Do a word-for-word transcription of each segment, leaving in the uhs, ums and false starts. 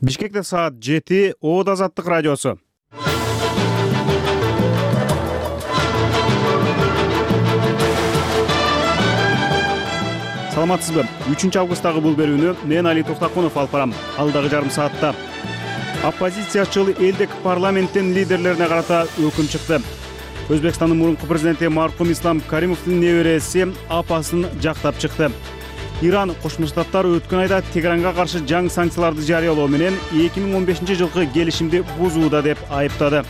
Бишкекте саат жети, Оот Азаттык радиосу. Саламатсызбы? үчүнчү августтагы бул берүүнү мен Али Токтакунов алып барам. Алдагы жарым саатта оппозициячыл элдик парламенттин лидерлерине карата өкүм чыкты. Өзбекстандын мурунку президенти маркум Ислам Каримовдун небереси апасын жактап чыкты. Иран Кошмо Штаттар өткөн айда Тегеранга каршы жаңы санкцияларды жарыялоо менен эки миң он бешинчи жылкы келишимди бузууда деп айыптады.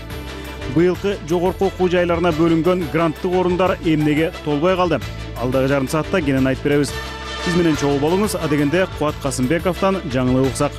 Быйылкы жогорку окуу жайларына бөлүнгөн гранттык орундар эмнеге толбой калды? Алдагы жарым саатта кенен айтып беребиз. Биз менен чогуу болуңуз. А дегенде Кубат Касымбековдон жаңылык уксак.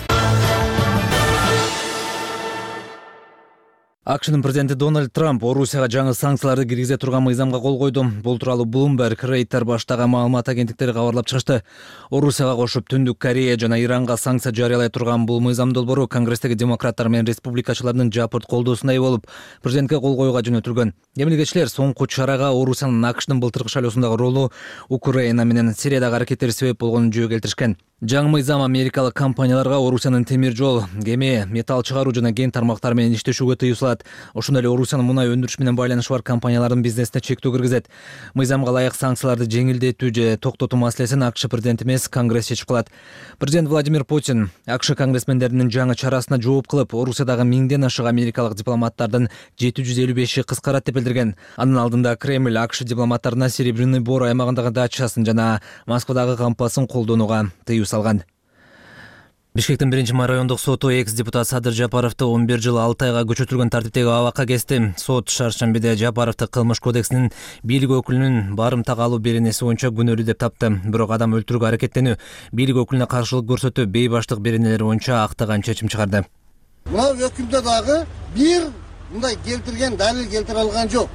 АКШнын президенти Дональд Трамп Орусияга жаңы санкцияларды киргизе турган мыйзамга кол койду. Бул тууралуу Bloomberg, Reuters баштаган маалымат агенттиктери кабарлап чыгышты. Орусияга кошуп Түндүк Корея жана Иранга санкция жарыялай турган бул мыйзам долбоору Конгресстеги демократтар менен республикачылардын жапырт колдоосуна ээ болуп, президентке кол коюуга жөнөтүлгөн. Эмилгечилер соңку чарага Орусиянын АКШнын былтыркы шайлоосундагы ролу Украина менен Сириядагы аракеттери себеп болгонун жөө келтиришкен. Жаңы мыйзам америкалык компанияларга Орусиянын темир жол, кеме, металл чыгаруу жана кен тармактары менен иштешүүгө тыюу салат. Ошондой эле Орусиянын мунай өндүрүш менен байланышы бар компаниялардын бизнесине чектөө киргизет. Мыйзамга ылайык санкцияларды жеңилдетүү же токтотуу маселесин АКШ президенти эмес Конгресс чечип калат. Президент Владимир Путин АКШ конгрессмендеринин жаңы чарасына жооп кылып, Орусиядагы миңден ашык америкалык дипломаттардын жети жүз элүү беши кыскарат деп билдирген. Анын алдында Кремль АКШ дипломаттарына Серебряный Бор аймагындагы дачасын жана Москвадагы кампасын колдонууга тыюу салган. Бишкектин биринчи май райондук соту экс-депутат Садыр Жапаровду он бир жыл алты айга көчөтүлгөн тартиптеги абакка кести. Сот шаршембиде Жапаровду кылмыш кодексинин бийлик өкүлүнүн барымтага алуу беренеси боюнча күнөөлүү деп тапты. Бирок адам өлтүрүүгө аракеттенүү, бийлик өкүлүнө каршылык көрсөтүү, бейбаштык беренелери боюнча актаган чечим чыгарды. Мына өкүмдө дагы бир мындай келтирген далил келтире алган жок.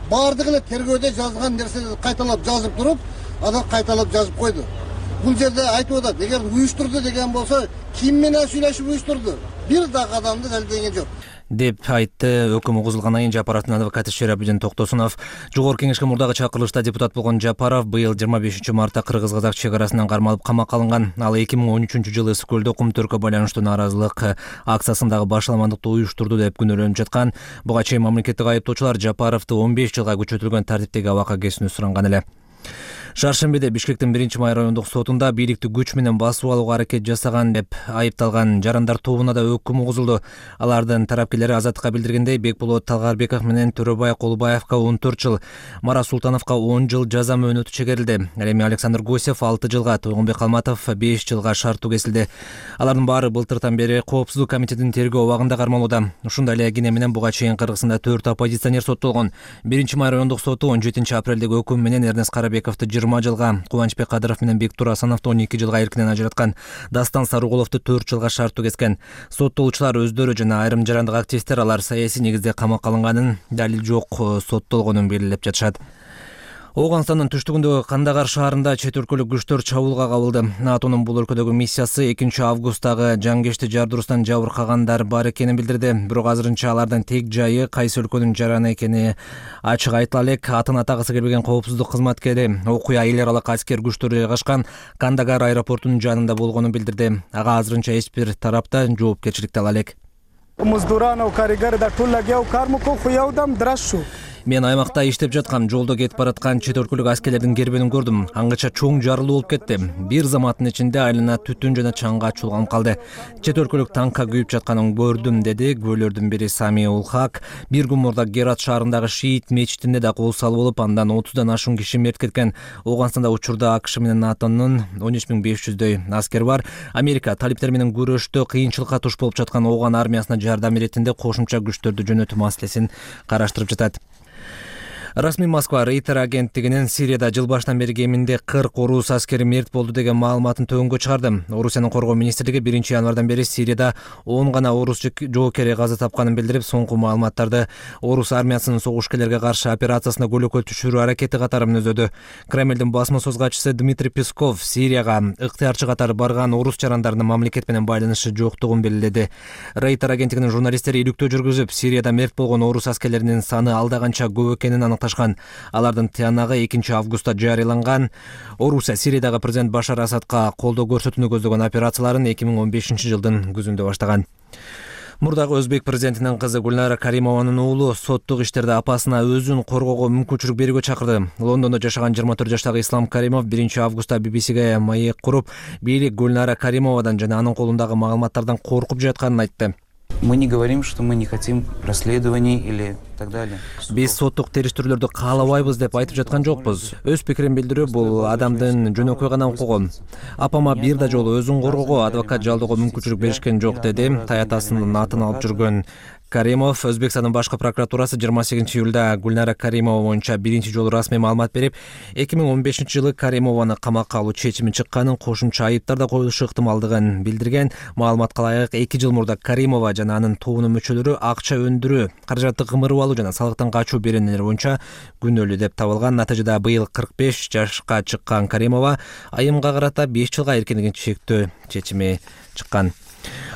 Бардыгы эле тергөөдө жазган нерселерди кайталап жазып туруп, анан кайталап жазып койду. Бул жерде айтып атат, эгер уюштурду деген болсо, ким менен сүйлөшүп уюштурду? Бир дагы адамды далилдеген жок деп айтты. Өкүм угузулгандан кийин Жапаровдун адвокаты Шерабудин Токтосунов. Жогорку кеңешке мурдагы чакырылышта депутат болгон Жапаров быйыл жыйырма бешинчи мартта кыргыз-казак чек арасынан кармалып камакка алынган. Ал эки миң он үчүнчү жылы Ысык көлдө кумтөрккө байланыштуу нааразылык акциясындагы башаламандыкты уюштурду деп күнөөлөнүп жаткан. Буга чейин мамлекеттик айыптоочулар Жапаровду он беш жылга көчөтүлгөн тартиптеги абакка кесүүнү суранган эле. Шаршембиде Бишкектин биринчи май райондук сотунда бийликти күч менен басып алууга аракет жасаган деп айыпталган жарандар тобуна да өкүм угузулду. Алардын тарапкерлери Азаттыкка билдиргендей, Бекболот Талгарбеков менен Төрөбай Колубаевка он төрт жыл, Марат Султановго он жыл жаза мөөнөтү чегерилди. Ал эми Александр Гусев алты жылга, Тойгонбек Калматов беш жылга шарттуу кесилди. Алардын баары былтыртан бери Коопсуздук комитетинин тергөө абагында кармалууда. Ушундай эле кене менен буга чейин Кыргызстанда төрт оппозиционер соттолгон. биринчи май райондук соту он жетинчи апрелдеги өкүм менен Эрнест Карабековду жыйырма жылга, Кубанычбек Кадыров менен Бектур Асановду он эки жылга эркинен ажыраткан. Дастан Сарыгуловду төрт жылга шарттуу кескен. Соттолуучулар өздөрү жана айрым жарандык активисттер алар саясий негизде камакка алынганын, далил жок соттолгонун белгилеп жатышат. Ооганстандын түштүгүндөгү Кандагар шаарында чет өлкөлүк күчтөр чабуулга кабылды. НАТОнун бул өлкөдөгү миссиясы экинчи августтагы жангешти жардыруусунан жабыркагандар бар экенин билдирди. Бирок азырынча алардын тек жайы кайсы өлкөнүн жараны экени ачык айтыла элек. Атын атагысы келбеген коопсуздук кызматкери окуя эл аралык аскер күчтөрү жайгашкан Кандагар аэропортунун жанында болгонун билдирди. Ага азырынча эч бир тарапта жоопкерчиликти ала элек. Мен аймакта иштеп жаткам, жолдо кетип бараткан чет өлкөлүк аскерлердин кербенин көрдүм. Аңгыча чоң жарылуу болуп кетти. Бир заматтын ичинде айлана түтүн жана чаңга чуулганып калды. Чет өлкөлүк танкка күйүп жатканын көрдүм, деди күбөлөрдүн бири Сами Улхак. Бир күн мурда Герат шаарындагы Шиит мечитинде да кол салуу болуп, андан отуздан ашуун киши мерт кеткен. Ооганстанда учурда АКШ менен НАТОнун он үч миң беш жүздөй аскер бар. Америка талиптер менен күрөштө кыйынчылыкка туш болуп жаткан Ооган армиясына жардам иретинде кошумча күчтөрдү жөнөтүү маселесин караштырып жатат. Расмий Москва Рейтер агенттигинин Сирияда жыл башынан бери кеминде кырк орус аскери мерт болду деген маалыматын төгөнгө чыгарды. Орусиянын коргоо министрлиги биринчи январдан бери Сирияда он гана орус жоокери каза тапканын билдирип, соңку маалыматтарды орус армиясынын согушкерлерге каршы операциясына көлөкө түшүрүү аракети катары мүнөздөдү. Кремлдин басма сөз катчысы Дмитрий Песков Сирияга ыктыярчы катары барган орус жарандарынын мамлекет менен байланышы жоктугун белгиледи. Рейтер агенттигинин журналисттери иликтөө жүргүзүп, Сирияда мерт болгон орус аскерлеринин саны алда канча көп экенин салышташкан. Алардын тыянагы экинчи августта жарыяланган. Орусия Сириядагы президент Башар Асадка колдоо көрсөтүүнү көздөгөн операцияларын эки миң он бешинчи жылдын күзүндө баштаган. Мурдагы өзбек президентинин кызы Гүлнара Каримованын уулу соттук иштерде апасына өзүн коргоого мүмкүнчүлүк берүүгө чакырды. Лондондо жашаган жыйырма төрт жаштагы Ислам Каримов биринчи августта би би сиге маек куруп, бийлик Гүлнара Каримовадан жана анын колундагы маалыматтардан коркуп жатканын айтты. Мы не говорим, что мы не хотим расследований или так далее. Биз соттук териштирүүлөрдү каалабайбыз деп айтып жаткан жокпуз. Өз пикирин билдирүү бул адамдын жөнөкөй гана укугу. Апама бир да жолу өзүн коргоого адвокат жалдоого мүмкүнчүлүк беришкен жок, деди таятасынын атын алып жүргөн Каримов. Өзбекстандын башкы прокуратурасы жыйырма сегизинчи июлда Гүлнара Каримова боюнча биринчи жолу расмий маалымат берип, эки миң он бешинчи жылы Каримованы камакка алуу чечими чыкканын, кошумча айыптар да коюлушу ыктымалдыгын билдирген. Маалыматка ылайык эки жыл мурда Каримова жана анын тоонун мүчөлөрү акча өндүрүү, каражатты кымырып алуу жана салыктан качуу беренелери боюнча күнөөлүү деп табылган. Натыйжада быйыл кырк беш жашка чыккан Каримова айымга карата беш жылга эркиндигин чектөө чечими чыккан.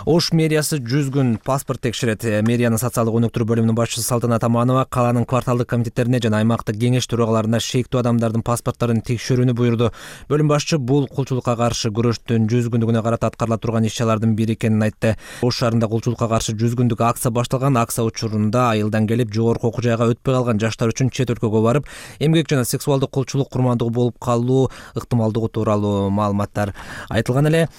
Ош мэриясы жүз күн паспорт текшерет. Мэриянын социалдык өнүктүрүү бөлүмүнүн башчысы Салтанат Аманова калаанын кварталдык комитеттерине жана аймактык кеңеш төрагаларына шектүү адамдардын паспорттарын текшерүүнү буйрду. Бөлүм башчы бул кулчулукка каршы күрөштүн жүз күндүгүнө карата аткарыла турган иш-чаралардын бири экенин айтты. Ош шаарында кулчулукка каршы жүз күндүк акция башталган. Акция учурунда айылдан келип жогорку окуу жайга өтпөй калган жаштар үчүн чет өлкөгө барып, эмгек жана сексуалдык кулчулук курмандыгы болуп калуу ыктымалдыгы тууралуу маалыматтар айтылган эле.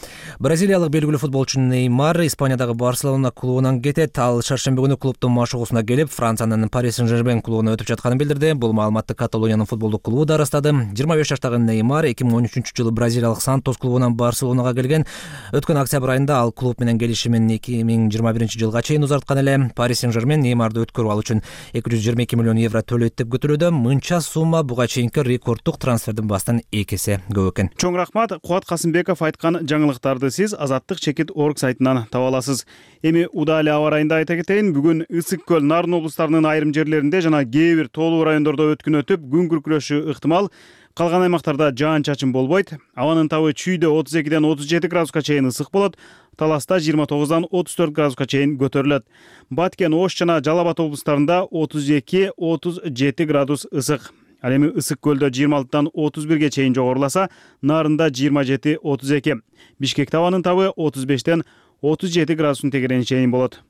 Бразилиялык белгилүү футболчу Неймар Испаниядагы Барселона клубунан кетет. Ал шаршемби күнү клубдун машыгуусуна келип, Франциянын Пари Сен-Жермен клубуна өтүп жатканын билдирди. Бул маалыматты Каталониянын футболдук клубу да ырастады. жыйырма беш жаштагы Неймар эки миң он үчүнчү жылы бразилиялык Сантос клубунан Барселонага келген. Өткөн октябрь айында ал клуб менен келишимин эки миң жыйырма биринчи жылга чейин узарткан эле. Пари Сен-Жермен Неймарды өткөрүп алуу үчүн эки жүз жыйырма эки миллион евро төлөйт деп күтүлүүдө. Мынча сумма буга чейинки рекорддук трансфердин бастан эки эсе көп экен. Чоң рахмат. Кубат Касымбеков айткан жаңылыктарды сиз Азаттык чекит орг сайтынан таба аласыз. Эми удаалы аба ырайында айта кетейин. Бүгүн Ысык көл, Нарын облустарынын айрым жерлеринде жана кээ бир тоолуу райондордо өткүн өтүп, күн күркүрөшү ыктымал. Калган аймактарда жаан-чачын болбойт. Абанын табы Чүйдө отуз экиден отуз жети градуска чейин ысык болот. Таласта жыйырма тогуздан отуз төрт градуска чейин көтөрүлөт. Баткен, Ош жана Жалал Абад облустарында отуз эки отуз жети градус ысык. Ал эми Ысык көлдө жыйырма алтыдан отуз бирге чейин жогоруласа, Нарында жыйырма жети отуз эки. Бишкекте абанын табы отуз бештен отуз жети градустун тегерени чейин болот.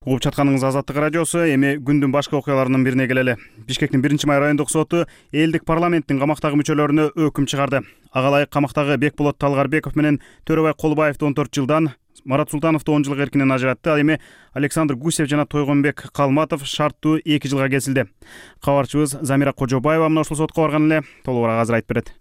Угуп жатканыңыз Азаттык радиосу. Эми күндүн башка окуяларынын бирине келели. Бишкектин биринчи май райондук соту элдик парламенттин камактагы мүчөлөрүнө өкүм чыгарды. Ага ылайык камактагы Бекболот Талгарбеков менен Төрөбай Колубаевди он төрт жылдан, Марат Султановду он жыл эркинен ажыратты. Ал эми Александр Гусев жана Тойгонбек Калматов шарттуу эки жылга кесилди. Кабарчыбыз Замира Кожобаева мына ушул сотко барган эле. Толугураак азыр айтып берет.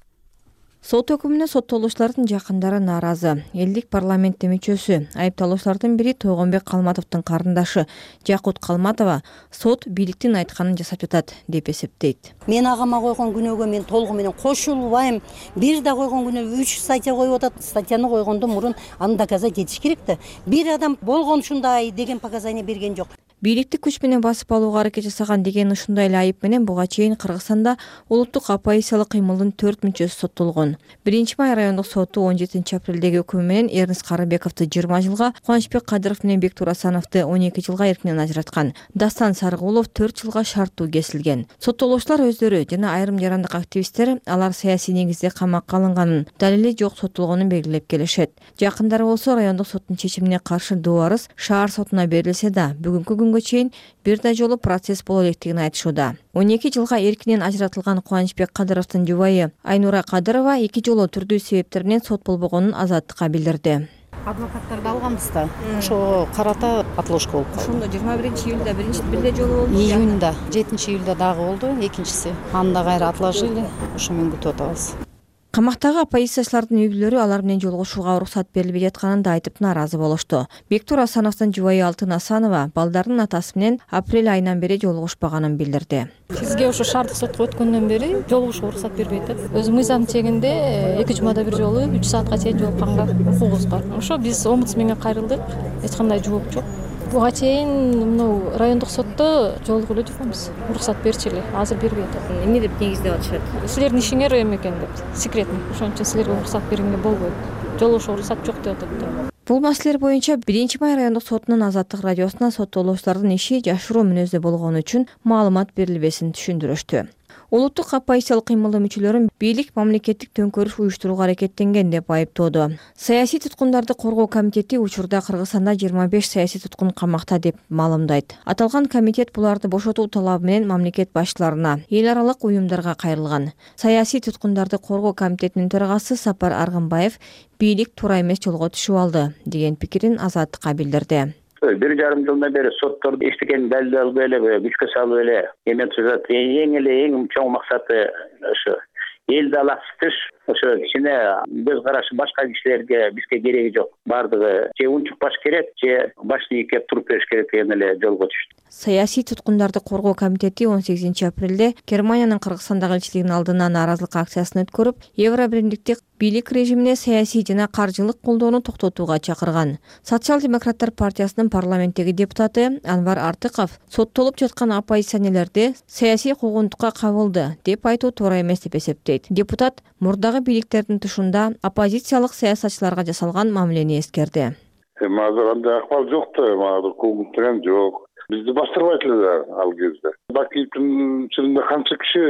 Сот өкүмүнө соттолуучулардын жакындары нааразы. Элдик парламенттин мүчөсү, айыпталуучулардын бири Тойгонбек Калматовдун карындаш Жакут Калматова сот бийликтин айтканын жасап жатат деп эсептейт. Мен агама койгон күнөөгө мен толугу менен кошулбайм. Бир да койгон күнөө үч статья коюп атат. Статьяны койгондон мурун аны доказать этиш керек да. Бир адам болгон ушундай деген показания берген жок. Бийликти күч менен басып алууга аракет жасаган деген ушундай эле айып менен буга чейин Кыргызстанда улуттук оппозициялык кыймылдын төрт мүчөсү соттолгон. биринчи май райондук соту он жетинчи апрелдеги өкүмү менен Эрнст Карыбековду жыйырма жылга, Кубанычбек Кадыров менен Бектур Асановду он эки жылга эркинен ажыраткан. Дастан Сарыгулов төрт жылга шарттуу кесилген. Соттолуучулар өздөрү жана айрым жарандык активисттер алар саясий негизде камакка алынганын, далили жок соттолгонун белгилеп келишет. Жакындары болсо райондук соттун чечимине каршы доо арыз шаар сотуна берилсе да, бүгүнкү күнгө чейин бир да жолу процесс боло электигин айтышууда. он эки жылга эркинен ажыратылган Кубанычбек Кадыровдун жубайы Айнура Кадырова эки жолу түрдүү себептер менен сот болбогонун Азаттыкка билдирди. Адвокаттарды алганбыз да. Ошого карата отложка болуп калды. Ошондо жыйырма биринчи июлда биринчи бир да жолу болду. Июнда, жетинчи июлда дагы болду, экинчиси. Аны да кайра отложили. Ошо менен күтүп атабыз. Камактагы оппозициячылардын үй бүлөлөрү алар менен жолугушууга уруксат берилбей жатканын да айтып нааразы болушту. Бектур Асановдун жубайы Алтын Асанова балдарынын атасы менен апрель айынан бери жолугушпаганын билдирди. Бизге ошо шаардык сотко өткөндөн бери жолугушууга уруксат бербей атат. Өзүм мыйзам чегинде эки жумада бир жолу үч саатка чейин жолукканга укугубуз бар. Ошо биз омбудсменге кайрылдык. Эч кандай жооп жок. Буга чейин мына райондук сотто жолугуп эле жүргөнбүз. Уруксат берчи эле, азыр бербей атат. Эмне деп негиздеп атышат? Силердин ишиңер эме экен деп, секретный. Ошон үчүн силерге уруксат бергенге болбойт. жолугушууга уруксат жок деп атат. Бул маселелер боюнча биринчи май райондук сотунун Азаттык радиосуна соттолуучулардын иши жашыруу мүнөздө болгону үчүн маалымат берилбесин түшүндүрүштү. Улуттук оппозициялык кыймылдын мүчөлөрүн бийлик мамлекеттик төңкөрүш уюштурууга аракеттенген деп айыптоодо. Саясий туткундарды коргоо комитети учурда Кыргызстанда жыйырма беш саясий туткун камакта деп маалымдайт. Аталган комитет буларды бошотуу талабы менен мамлекет башчыларына, эл аралык уюмдарга кайрылган. Саясий туткундарды коргоо комитетинин төрагасы Сапар Аргынбаев бийлик туура эмес жолго түшүп алды деген пикирин Азаттыкка билдирди. Бир жарым жылдан бери сотторду иштеген далил алып эле күчкө салып эле эме түзөт. Эң эле эң чоң максаты ошо элди алаксытыш, ошо кичине көз карашы башка кишилерге бизге кереги жок. Бардыгы же унчук баш керек, же башты ийкеп туруп бериш керек деген эле жолго түштү. Саясий туткундарды коргоо комитети он сегизинчи апрелде Германиянын Кыргызстандагы элчилигинин алдына нааразылык акциясын өткөрүп, Евро биримдиктик бийлик режимине саясий жана каржылык колдоону токтотууга чакырган. Социал-демократтар партиясынын парламенттеги депутаты Анвар Артыков соттолуп жаткан оппозиционерлерди саясий куугунтукка кабылды деп айтуу туура эмес деп эсептейт. Депутат мурдагы бийликтердин тушунда оппозициялык саясатчыларга жасалган мамилени эскерди. Азыр андай акыбал жок да, мага куугунтуган жок. Бизди бастырбайт эле ал кезде. Бакиевдин чынында канча киши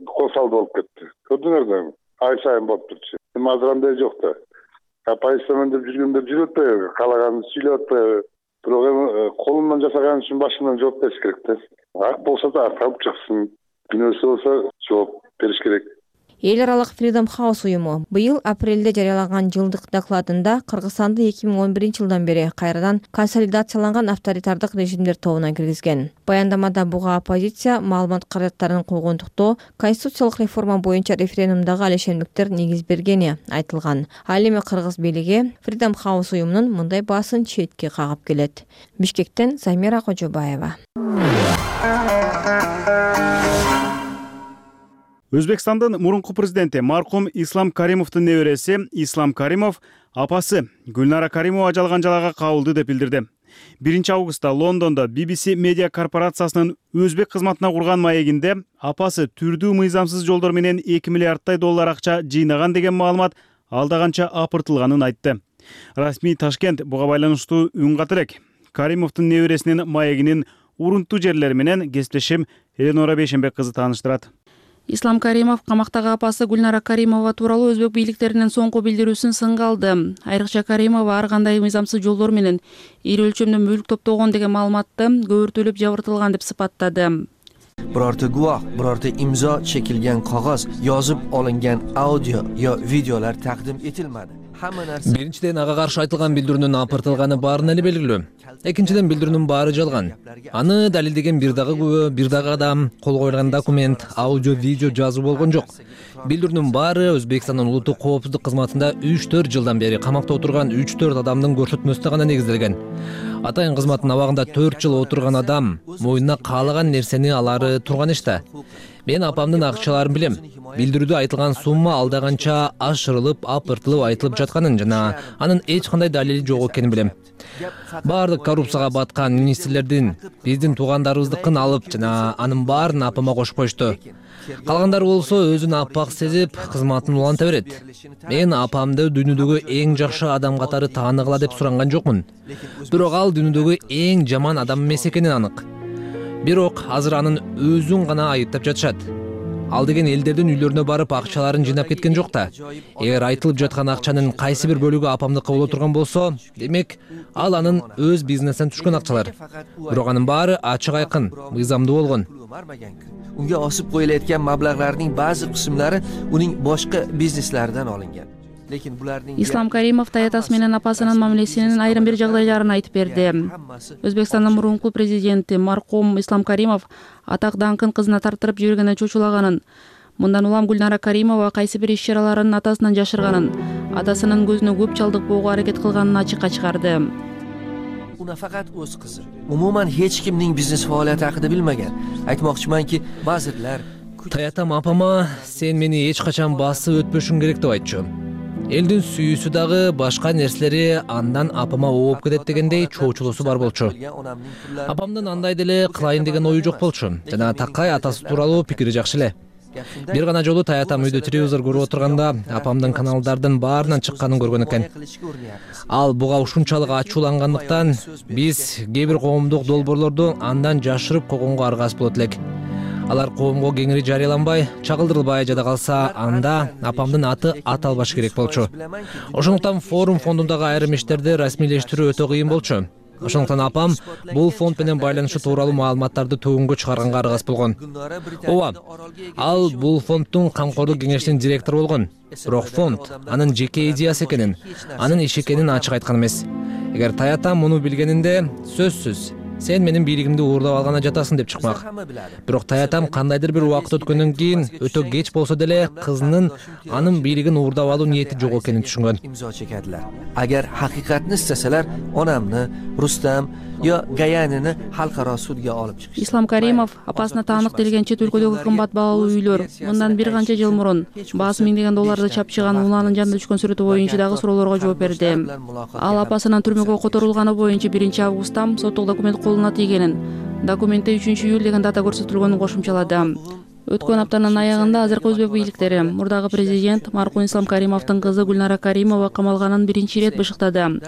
кол салды болуп кетти. Көрдүңөр да, ай сайын болуп турчу. Эми азыр андай жок да. Оппозициямын деп жүргөндөр жүрүп атпайбы, каалаганын сүйлөп атпайбы. Бирок эми колунан жасаган үчүн башынан жооп бериш керек да. Ак болсо да ак алып чыксын, күнөөсү болсо жооп бериш керек. Эл аралык Freedom House уюму быйыл апрелде жарыялаган жылдык докладында Кыргызстанды эки миң он биринчи жылдан бери кайрадан консолидацияланган авторитардык режимдер тобуна киргизген. Баяндамада буга оппозиция маалымат каражаттарын куугунтуктоо, конституциялык реформа боюнча референдумдагы алешендиктер негиз бергени айтылган. Ал эми кыргыз бийлиги Freedom House уюмунун мындай баасын четке кагып келет. Бишкектен Замира Кожобаева. Өзбекстандын мурунку президенти маркум Ислам Каримовдун небереси Ислам Каримов апасы Гүлнара Каримова ажалган жалага кабылды деп билдирди. биринчи августта Лондондо би би си медиа корпорациясынын өзбек кызматына курган маегинде апасы түрдүү мыйзамсыз жолдор менен эки миллиарддай доллар акча жыйнаган деген маалымат алдаганча апыртылганын айтты. Расмий Ташкент буга байланыштуу үн катты элек. Каримовдун небересинин маегинин урунтуу жерлери менен кесиптешим Эленора Бейшенбек кызы тааныштырат. Ислам Каримов камактагы апасы Гүлнара Каримова тууралуу өзбек бийликтеринин соңку билдирүүсүн сынга алды. Айрыкча Каримова ар кандай мыйзамсыз жолдор менен ири өлчөмдө мүлк топтогон деген маалыматты көбүртүлүп жабыртылган деп сыпаттады. Birorta guvoh, birorta imzo chekilgan qog'oz, yozib olingan audio yo videolar taqdim etilmadi. Биринчиден ага каршы айтылган билдирүүнүн апыртылганы баарын эле белгилүү. Экинчиден билдирүүнүн баары жалган. Аны далилдеген бир дагы күбө, бир дагы адам, кол коюлган документ, аудио, видео жазуу болгон жок. Билдирүүнүн баары Өзбекстандын улуттук коопсуздук кызматында үч төрт жылдан бери камакта отурган үч төрт адамдын көрсөтмөсүнө гана негизделген. Атайын кызматтын абагында төрт жыл отурган адам мойнуна каалаган нерсени алары турган иште. Мен апамдын акчаларын билем. Билдирүүдө айтылган сумма алдаганча ашырылып, апыртылып айтылып жатканын жана анын эч кандай далили жок экенин билем. Баардык коррупцияга баткан министрлердин биздин туугандарыбыздыкын алып жана анын баарын апама кошуп коюшту. Калгандары болсо өзүн апак сезип, кызматын уланта берет. Мен апамды дүйнөдөгү эң жакшы адам катары тааныгыла деп суранган жокмун. Бирок ал дүйнөдөгү эң жаман адам эмес экени анык. Бирок азыр анын өзүн гана айыптап жатышат. Ал деген элдердин үйлөрүнө барып акчаларын жыйнап кеткен жок да. Эгер айтылып жаткан акчанын кайсы бир бөлүгү апамдыкы боло турган болсо, демек ал анын өз бизнесинен түшкөн акчалар. Бирок анын баары ачык айкын, мыйзамдуу болгон. Unga osib qo'yilayotgan mablag'larning ba'zi qismlari uning boshqa bizneslaridan olingan. Lekin bularning Ислам Каримов таятасы менен апасынын мамилесинин айрым бир жагдайларын айтып берди. Өзбекстандын мурунку президенти маркум Ислам Каримов атак даңкын кызына тартырып жибергенин чочулаганын, мындан улам Гүлнара Каримова кайсы бир иш-чараларын атасынан жашырганын, атасынын көзүнө көп чалдыкпоого аракет кылганын ачыкка чыгарды. Uni faqat o'z qizi. Umuman hech kimning biznes faoliyati haqida bilmagan. Aytmoqchimanki, vazirlar Таятам апама сен мени эч качан басып өтпөшүң керек деп айтчу. Элдин сүйүүсү дагы башка нерселери андан апама ооп кетет дегендей чоочулуусу бар болчу. Апамдын андай деле кылайын деген ою жок болчу. Жана такай атасы тууралуу пикири жакшы эле. Бир гана жолу таятам үйдө телевизор көрүп отурганда апамдын каналдардын баарынан чыкканын көргөн экен. Ал буга ушунчалык ачуулангандыктан биз кээ бир коомдук долбоорлорду андан жашырып койгонго аргасыз болот элек. Алар коомго кеңири жарыяланбай, чагылдырылбай жада калса, анда апамдын аты аталбашы керек болчу. Ошондуктан форум фондундагы айрым иштерди расмийлештирүү өтө кыйын болчу. Ошондуктан апам бул фонд менен байланышы тууралуу маалыматтарды төгүнгө чыгарганга аргасыз болгон. Ооба, ал бул фонддун камкордук кеңешинин директору болгон. Бирок фонд анын жеке идеясы экенин, анын иши экенин ачык айткан эмес. Эгер таятам муну билгенинде, сөзсүз сен менин бийлигимди уурдап алгана жатасың деп чыкмак. Бирок таятам кандайдыр бир убакыт өткөндөн кийин өтө кеч болсо деле кызынын анын бийлигин уурдап алуу ниети жок экенин түшүнгөн. Имзо чекadilar. Agar haqiqatni istasalar, onamni, Rustam yo Gayanini xalqaro sudga olib chiqish. Ислам Каримов апасына таандык делген чет өлкөдөгү кымбат баалуу үйлөр мындан бир канча жыл мурун баасы миңдеген долларды чапчыган уланын жанында түшкөн сүрөтү боюнча дагы суроолорго жооп берди. Ал апасынын түрмөгө которулганы боюнча биринчи августта соттук документ колуна тийгенин, документте үчүнчү июль деген дата көрсөтүлгөнүн кошумчалады. Өткөн аптанын аягында азыркы өзбек бийликтери мурдагы президент маркум Ислам Каримовдун кызы Гүлнара Каримова камалганын биринчи ирет бышыктады.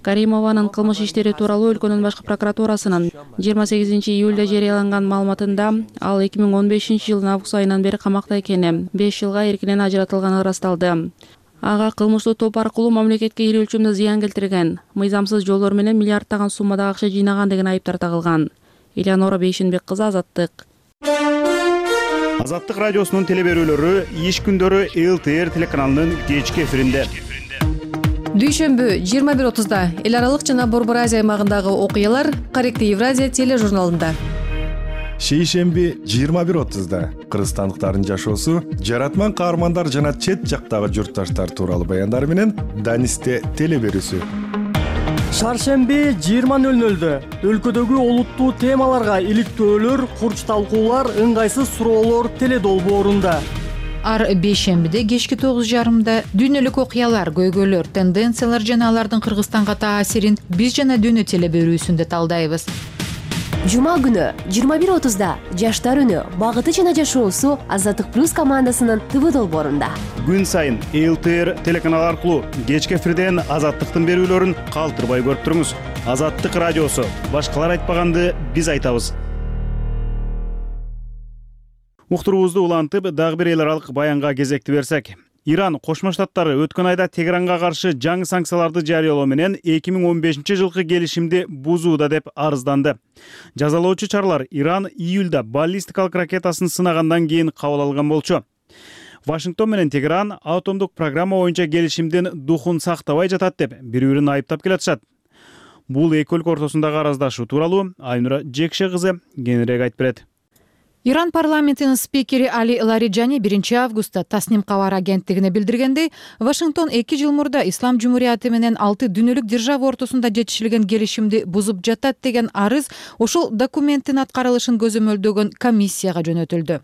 Каримованын кылмыш иштери тууралуу өлкөнүн башкы прокуратурасынын жыйырма сегизинчи июлда жарыяланган маалыматында ал эки миң он бешинчи жылдын август айынан бери камакта экени, беш жылга эркинен ажыратылганы ырасталды. Ага кылмыштуу топ аркылуу мамлекетке ири өлчөмдө зыян келтирген, мыйзамсыз жолдор менен миллиарддаган суммада акча жыйнаган деген айыптар тагылган. Элеонора Бейшенбек кызы, Азаттык. Азаттык радиосунун телеберүүлөрү иш күндөрү эл тэ эр телеканалынын кечки эфиринде. Дүйшөмбү жыйырма бир отузда эл аралык жана Борбор Азия аймагындагы окуялар Корректив Евразия тележурналында. Шейшемби жыйырма бир отузда кыргызстандыктардын жашоосу, жаратман каармандар жана чет жактагы журтташтар тууралуу баяндар менен Данисте телеберүүсү. Шаршемби жыйырма нөл нөлдө өлкөдөгү олуттуу темаларга иликтөөлөр, курч талкуулар, ыңгайсыз суроолор теледолбоорунда. Ар бейшембиде кечки тогуз жарымда дүйнөлүк окуялар, көйгөйлөр, тенденциялар жана алардын Кыргызстанга таасирин биз жана дүйнө телеберүүсүндө талдайбыз. Жума күнү жыйырма бир отузда жаштар үнү, багыты жана жашоосу Азаттык плюс командасынын ТВ долбоорунда. Күн сайын эл тэ эр телеканал аркылуу кечки эфирден Азаттыктын берүүлөрүн калтырбай көрүп туруңуз. Азаттык радиосу. Башкалар айтпаганды биз айтабыз. Уктуруубузду улантып, дагы бир эл аралык баянга кезекти берсек. Иран Кошмо Штаттары өткөн айда Тегеранга каршы жаңы санкцияларды жарыялоо менен эки миң он бешинчи жылкы келишимди бузууда деп арызданды. Жазалоочу чаралар Иран июлда баллистикалык ракетасын сынагандан кийин кабыл алган болчу. Вашингтон менен Тегеран атомдук программа боюнча келишимдин духун сактабай жатат деп бири-бирин айыптап келатышат. Бул эки өлкө ортосундагы араздашуу тууралуу Айнура Жекше кызы кеңирээк айтып берет. Иран парламентинин спикери Али Лариджани биринчи августта Тасним кабар агенттигине билдиргендей, Вашингтон эки жыл мурда Ислам Жумурияты менен алты дүйнөлүк держава ортосунда жетишилген келишимди бузуп жатат деген арыз ошол документтин аткарылышын көзөмөлдөгөн комиссияга жөнөтүлдү.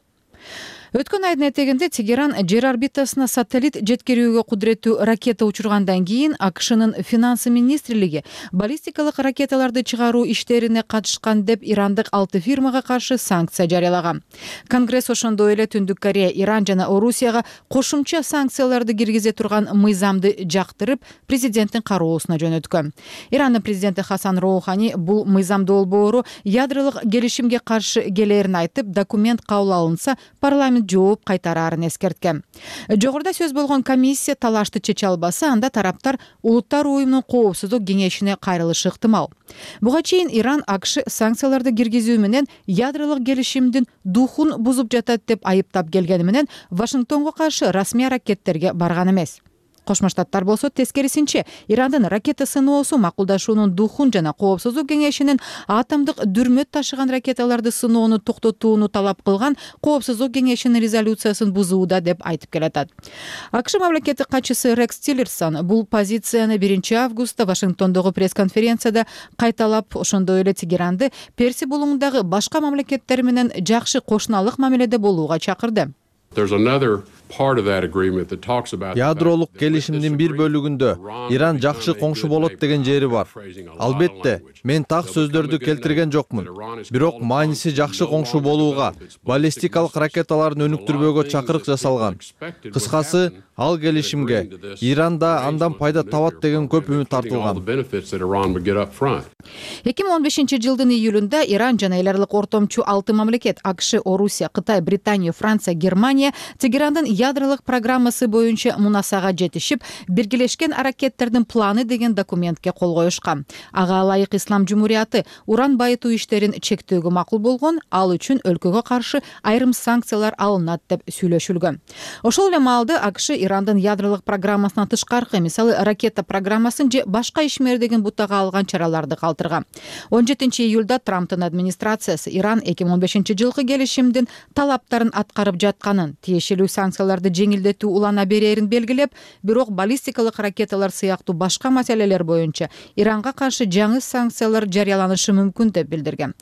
Өткөн айдын этегинде Тегеран жер орбитасына сателлит жеткирүүгө кудуреттүү ракета учургандан кийин АКШнын финансы министрлиги баллистикалык ракеталарды чыгаруу иштерине катышкан деп ирандык алты фирмага каршы санкция жарыялаган. Конгресс ошондой эле Түндүк Корея, Иран жана Орусияга кошумча санкцияларды киргизе турган мыйзамды жактырып, президенттин кароосуна жөнөткөн. Ирандын президенти Хасан Роухани бул мыйзам долбоору ядролук келишимге каршы келерин айтып, документ кабыл алынса, парламент жооп кайтарарын эскерткен. Жогоруда сөз болгон комиссия талашты чече албаса, анда тараптар Улуттар уюмунун коопсуздук кеңешине кайрылышы ыктымал. Буга чейин Иран АКШ санкцияларды киргизүү менен ядролук келишимдин духун бузуп жатат деп айыптап келгени менен Вашингтонго каршы расмий аракеттерге барган эмес. Кошмо Штаттар болсо тескерисинче Ирандын ракета сыноосу макулдашуунун духун жана коопсуздук кеңешинин атомдук дүрмөт ташыган ракеталарды сыноону токтотууну талап кылган коопсуздук кеңешинин резолюциясын бузууда деп айтып келатат. АКШ мамлекеттик катчысы Рекс Тиллерсон бул позицияны биринчи августта Вашингтондогу пресс-конференцияда кайталап, ошондой эле Тегеранды Перси булуңундагы башка мамлекеттер менен жакшы кошуналык мамиледе болууга чакырды. Ядролук келишимдин бир бөлүгүндө Иран жакшы коңшу болот деген жери бар. Албетте, мен так сөздөрдү келтирген жокмун. Бирок мааниси жакшы коңшу болууга, баллистикалык ракеталарын өнүктүрбөөгө чакырык жасалган. Кыскасы, ал келишимге Иран да андан пайда табат деген көп үмүт артылган. эки миң он бешинчи жылдын июлунда Иран жана эл аралык ортомчу алты мамлекет АКШ, Орусия, Кытай, Британия, Франция, Германия Тегерандын ядролук программасы боюнча мунасага жетишип, биргелешкен аракеттердин планы деген документке кол коюшкан. Ага ылайык Ислам Жумурияты уран байытуу иштерин чектөөгө макул болгон, ал үчүн өлкөгө каршы айрым санкциялар алынат деп сүйлөшүлгөн. Ошол эле маалда АКШ Ирандын ядролук программасынан тышкаркы, мисалы ракета программасын же башка ишмердигин бутага алган чараларды калтырган. он жетинчи июлда Трамптын администрациясы Иран эки миң он бешинчи жылкы келишимдин талаптарын аткарып жатканын, тиешелүү санкцияларды жеңилдетүү улана берерин белгилеп, бирок баллистикалык ракеталар сыяктуу башка маселелер боюнча Иранга каршы жаңы санкциялар жарыяланышы мүмкүн деп билдирген.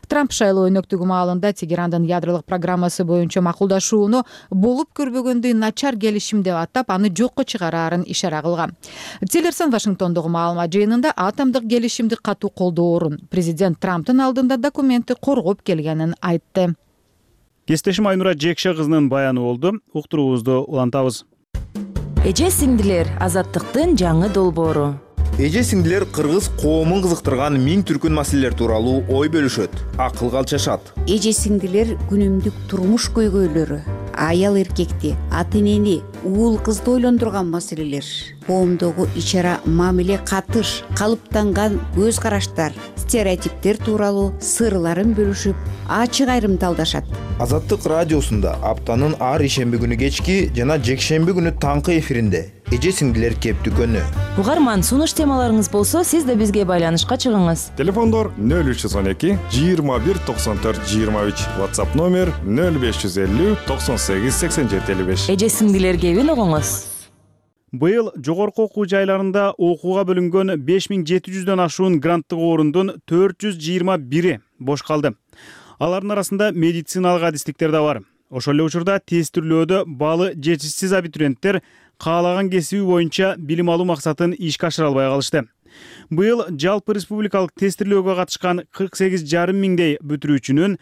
Трамп шайлоо өнөктүгү маалында Тегерандын ядролук программасы боюнча макулдашууну болуп көрбөгөндөй начар келишим деп атап, аны жокко чыгараарын ишара кылган. Тиллерсон Вашингтондогу маалымат жыйынында атомдук келишимди катуу колдоорун, президент Трамптын алдында документти коргоп келгенин айтты. Кестешим Айнура Жекше кызынын баяны болду. Уктуруубузду улантабыз. Эже сиңдилер, азаттыктын жаңы долбоору. Эже сиңдилер кыргыз коомун кызыктырган миң түркүн маселелер тууралуу ой бөлүшөт, акылга алчашат. Эже сиңдилер күнүмдүк турмуш көйгөйлөрү, аял эркекти, ата энени, уул кызды ойлондурган маселелер, коомдогу ичара мамиле катыш, калыптанган көз караштар, стереотиптер тууралуу сырларын бөлүшүп, ачык айрымдалдашат. Азаттык радиосунда аптанын ар ишемби күнү кечки жана жекшемби күнү таңкы эфиринде эже сиңдилер кептүкөнү. Угарман, сунуш темаларыңыз болсо, сиз да бизге байланышка чыгыңыз. Телефондор нөл үч жүз он эки жыйырма бир токсон төрт жыйырма үч, WhatsApp номер нөл беш жүз элүү токсон сегиз сексен жети элүү беш. Эже сиңдилер кебин угуңуз. Быйыл жогорку окуу жайларында окууга бөлүнгөн беш миң жети жүздөн ашуун гранттык орундун төрт жүз жыйырма бири бош калды. Алардын арасында медициналык адистиктер да бар. Ошол эле учурда тестирлөөдө баалы жетишсиз абитуриенттер каалаган кесиби боюнча билим алуу максатын ишке ашыра албай калышты. Быйыл жалпы республикалык тестирлөөгө катышкан кырк сегиз жарым миңдей бүтүрүүчүнүн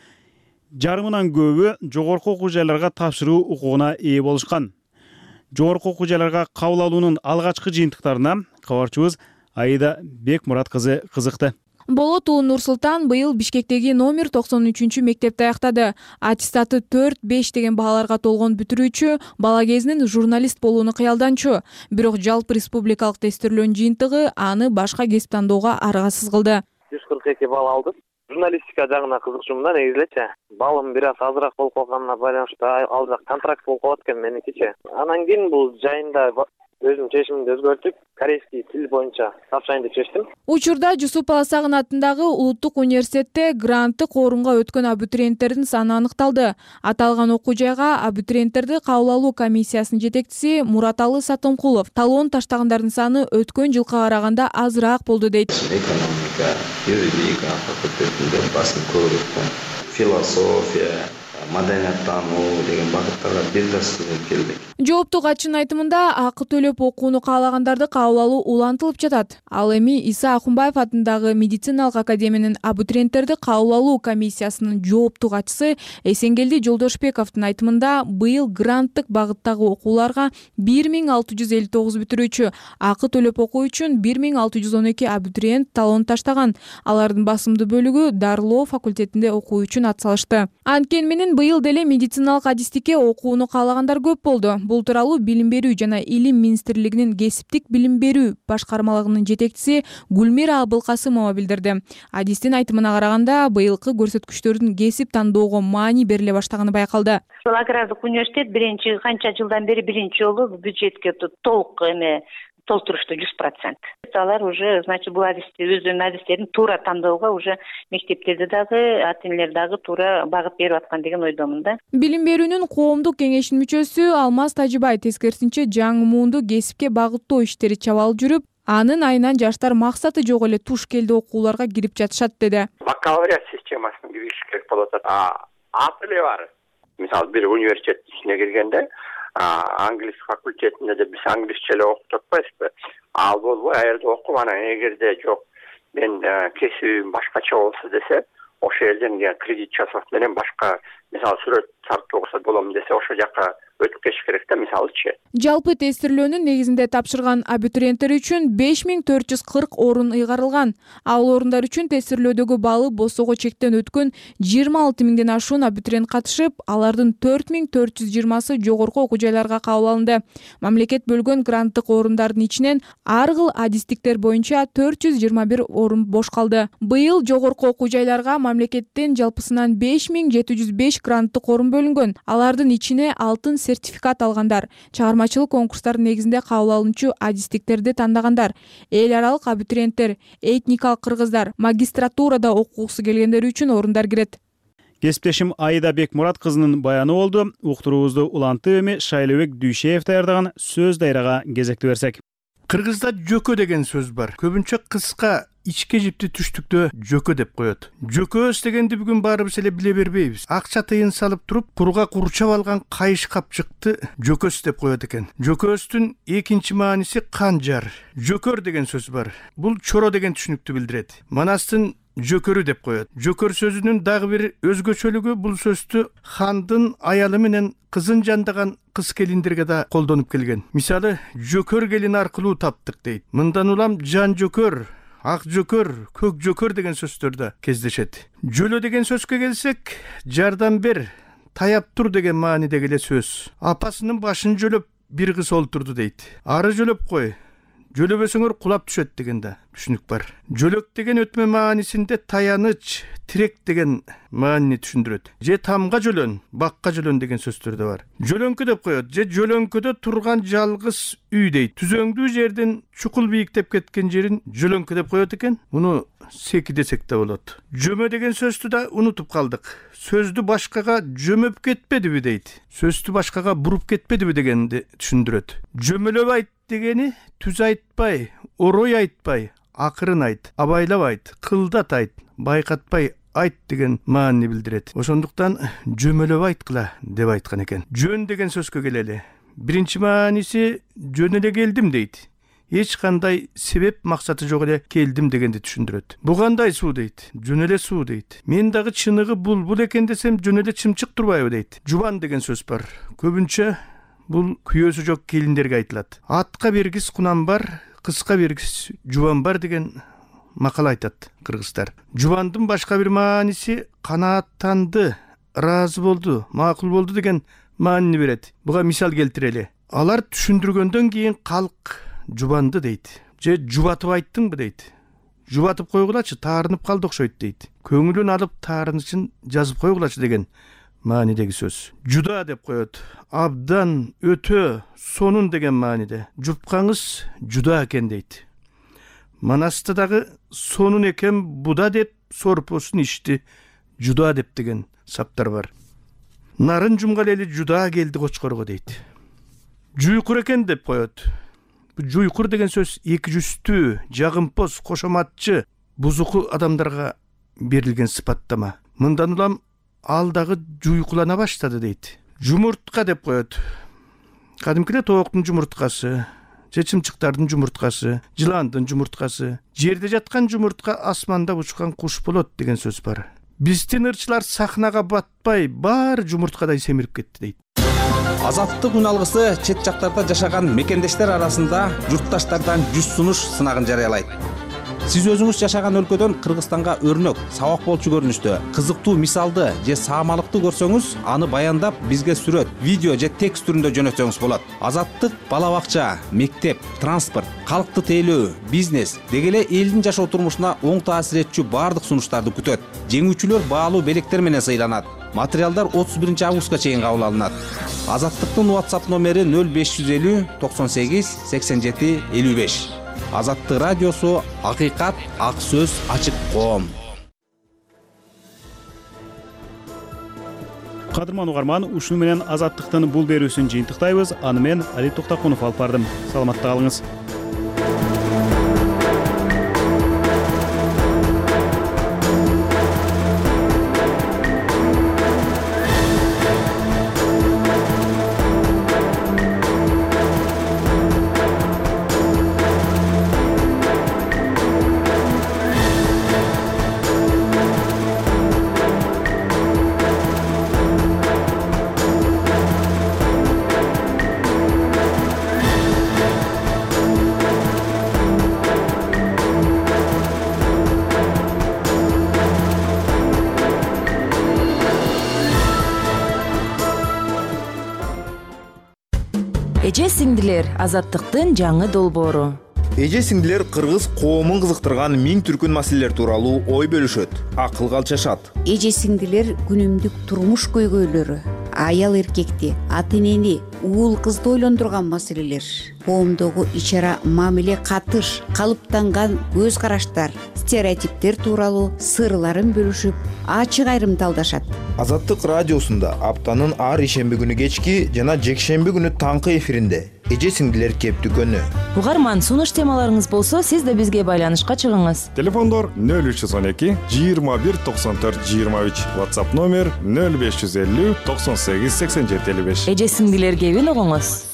жарымынан көбү жогорку окуу жайларга тапшыруу укугуна ээ болушкан. Жогорку окуу жайларга кабыл алуунун алгачкы жыйынтыктарына кабарчыбыз Аида Бекмурат кызы кызыкты. Болот уулу Нур-Султан быйыл Бишкектеги номер токсон үчүнчү мектепти аяктады. Аттестаты төрт беш деген бааларга толгон бүтүрүүчү бала кезинен журналист болууну кыялданчу. Бирок жалпы республикалык тестирлөөнүн жыйынтыгы аны башка кесип тандоого аргасыз кылды. жүз кырк эки балл алдым. Журналистика жагына кызыкчумун, негизи элечи. Балым бир аз азыраак болуп калганына байланыштуу ал жак контракт болуп калат экен меникичи. Анан кийин бул жайында өзүм чечимимди өзгөртүп, корейский тил боюнча тапшырайын деп чечтим. Учурда Жусуп Баласагын атындагы Улуттук университетте гранттык орунга өткөн абитуриенттердин саны аныкталды. Аталган окуу жайга абитуриенттерди кабыл алуу комиссиясынын жетекчиси Мураталы Сатомкулов талоон таштагандардын саны өткөн жылга караганда азыраак болду дейт. Экономика, юридика факультетинде басым көбүрөөк, философия, маданияттануу деген багыттарга бир да студент келди. Жоопту катчынын айтымында акы төлөп окууну каалагандарды кабыл алуу улантылып жатат. Ал эми Иса Акунбаев атындагы медициналык академиянын абитуриенттерди кабыл алуу комиссиясынын жоопту катчысы Эсенгелди Жолдошбековдун айтымында быйыл гранттык багыттагы окууларга бир миң алты жүз элүү тогуз бүтүрүүчү, акы төлөп окуу үчүн бир миң алты жүз он эки абитуриент талон таштаган. Алардын басымдуу бөлүгү дарылоо факультетинде окуу үчүн атсалышты. Анткени менен быйыл деле медициналык адистикке окууну каалагандар көп болду. Бул тууралуу Билим берүү жана Илим министрлигинин кесиптик билим берүү башкармалыгынын жетекчиси Гүлмира Абылкасымова билдирди. Адистин айтымына караганда, быйылкы көрсөткүчтөрдүн кесип тандоого маани бериле баштаганы байкалды. Ушул агрардык университет биринчи канча жылдан бери биринчи жолу бюджетке толук эме толтурушту жүз процент. Алар уже, значит, бул адисти өзүнүн адистерин туура тандоого уже мектептерде дагы, ата энелер дагы туура багыт берип аткан деген ойдомун да. Билим берүүнүн коомдук кеңешинин мүчөсү Алмаз Тажыбай тескерисинче жаңы муунду кесипке багыттоо иштери чабалып жүрүп, анын айынан жаштар максаты жок эле туш келди окууларга кирип жатышат деди. Бакалавриат системасына кириш керек болуп атат. А ат эле бар. Мисалы бир университет ичине киргенде англис факультетинде де биз англисче эле окуп атпайбызбы? Ал болбой ал жерде окуп, анан эгерде жок мен кесибим башкача болсо десе, ошол жерден кредит жасап менен башка мисалы сүрөт тартууга болом десе, ошол жака өтүп кетиш керек да, мисалычы. Жалпы тестирлөөнүн негизинде тапшырган абитуриенттер үчүн беш миң төрт жүз кырк орун ыйгарылган. Ал орундар үчүн тестирлөөдөгү баллы босого чектен өткөн жыйырма алты миңден ашуун абитуриент катышып, алардын төрт миң төрт жүз жыйырмасы жогорку окуу жайларга кабыл алынды. Мамлекет бөлгөн гранттык орундардын ичинен ар кыл адистиктер боюнча төрт жүз жыйырма бир орун бош калды. Быйыл жогорку окуу жайларга мамлекеттен жалпысынан беш миң жети жүз беш гранттык орун бөлүнгөн. Алардын ичине алтын сертификат алгандар, чыгармачылык конкурстар негизинде кабыл алынчу адистиктерди тандагандар, эл аралык абитуриенттер, этникалык кыргыздар, магистратурада окугусу келгендер үчүн орундар кирет. Кесиптешим Айда Бекмурат кызынын баяны болду. Уктуруубузду Уланты эми Шайлыбек Дүйшеев даярдаган сөз дайрага кезекти берсек. Кыргызда жөкө деген сөз бар. Көбүнчө кыска ичке жипти түштүктө жөкө деп коет. Жөкөс дегенди бүгүн баарыбыз эле биле бербейбиз. Акча тыйын салып туруп, курга курчап алган кайыш капчыкты жөкөс деп коет экен. Жөкөстүн экинчи мааниси канжар. Жөкөр деген сөз бар. Бул чоро деген түшүнүктү билдирет. Манастын жөкөрү деп коет. Жөкөр сөзүнүн дагы бир өзгөчөлүгү бул сөздү хандын аялы менен кызын жандаган кыз келиндерге да колдонуп келген. Мисалы, жөкөр келин аркылуу таптык дейт. Мындан улам жан жөкөр, ак жөкөр, көк жөкөр деген сөздөр да кездешет. Жөлө деген сөзгө келсек, жардам бер, таяп тур деген маанидеги эле сөз. Апасынын башын жөлөп бир кыз олтурду дейт. Ары жөлөп кой, жөлөбөсөңөр кулап түшөт деген да түшүнүк бар. Жөлөк деген өтмө маанисинде таяныч, тирек деген маанини түшүндүрөт. Же тамга жөлөн, бакка жөлөн деген сөздөр да бар. Жөлөңкү деп коет. Же жөлөңкөдө турган жалгыз үй дейт. Түзөңдүү жерден чукул бийиктеп кеткен жерин жөлөңкү деп коет экен. Муну секи десек да болот. Жөмө деген сөздү да унутуп калдык. Сөздү башкага жөмөп кетпедиби дейт. Сөздү башкага буруп кетпедиби дегенди түшүндүрөт. Жөмөлөп айт дегени түз айтпай, орой айтпай, акырын айт, абайлап айт, кылдат айт, байкатпай айт деген маанини билдирет. Ошондуктан жөмөлөп айткыла деп айткан экен. Жөн деген сөзгө келели. Биринчи мааниси жөн эле келдим дейт. Эч кандай себеп максаты жок эле келдим дегенди түшүндүрөт. Бу кандай суу дейт. Жөн эле суу дейт. Мен дагы чыныгы булбул экен десем жөн эле чымчык турбайбы дейт. Жубан деген сөз бар. Көбүнчө бул күйөөсү жок келиндерге айтылат. Атка бергис кунам бар, кызга бергис жубан бар деген макал айтат кыргыздар. Жубандын башка бир мааниси канааттанды, ыраазы болду, макул болду деген маанини берет. Буга мисал келтирели. Алар түшүндүргөндөн кийин калк жубанды дейт. Же жубатып айттыңбы дейт. Жубатып койгулачы, таарынып калды окшойт дейт. Көңүлүн алып таарынычын жазып койгулачы деген маанидеги сөз. Жуда деп коет. Абдан, өтө, сонун деген мааниде. Жупкаңыз жуда экен дейт. Манаста дагы сонун экен буда деп сорпосун ичти, жуда деп деген саптар бар. Нарын жумгал эли жуда келди кочкорго дейт. Жуйкур экен деп коет. Жуйкур деген сөз эки жүздүү, жагымпоз, кошоматчы, бузуку адамдарга берилген сыпаттама. Мындан улам ал дагы жуйкулана баштады дейт. Жумуртка деп коет. Кадимки эле тооктун жумурткасы, же чымчыктардын жумурткасы, жыландын жумурткасы, жерде жаткан жумуртка асманда учкан куш болот деген сөз бар. Биздин ырчылар сахнага батпай, баары жумурткадай семирип кетти дейт. Азаттык үн алгысы чет жактарда жашаган мекендештер арасында журтташтардан жүз сунуш сынагын жарыялайт. Сиз өзүңүз жашаган өлкөдөн Кыргызстанга өрнөк, сабак болчу көрүнүштө, кызыктуу мисалды же саамалыкты көрсөңүз, аны баяндап бизге сүрөт, видео же текст түрүндө жөнөтсөңүз болот. Азаттык бала бакча, мектеп, транспорт, калкты тейлөө, бизнес деги эле элдин жашоо турмушуна оң таасир этчү баардык сунуштарды күтөт. Жеңүүчүлөр баалуу белектер менен сыйланат. Материалдар отуз биринчи августка чейин кабыл алынат. Азаттыктын WhatsApp номери нөл беш жүз элүү токсон сегиз сексен жети элүү беш. Азаттык радиосу, акыйкат, ак сөз, ачык коом. Кадырман угарман, ушуну менен Азаттыктын бул берүүсүн жыйынтыктайбыз. Аны мен Али Токтокунов алып бардым. Саламатта калыңыз. Эже сиңдилер азаттыктын жаңы долбоору. Эже сиңдилер кыргыз коомун кызыктырган миң түркүн маселелер тууралуу ой бөлүшөт, акыл калчашат. Эже сиңдилер күнүмдүк турмуш көйгөйлөрү, аял эркекти, ата энени, уул кызды ойлондурган маселелер, коомдогу ич ара мамиле катыш, калыптанган көз караштар, стереотиптер тууралуу сырларын бөлүшүп, ачык айрымдалдашат. Азаттык радиосунда аптанын ар ишемби күнү кечки жана жекшемби күнү таңкы эфиринде эже сиңдилер кептүкөнү. Угарман, сунуш темаларыңыз болсо, сиз да бизге байланышка чыгыңыз. Телефондор нөл үч жүз он эки жыйырма бир токсон төрт жыйырма үч, WhatsApp номер нөл беш жүз элүү токсон сегиз сексен жети элүү беш. Эже сиңдилер кебин угуңуз.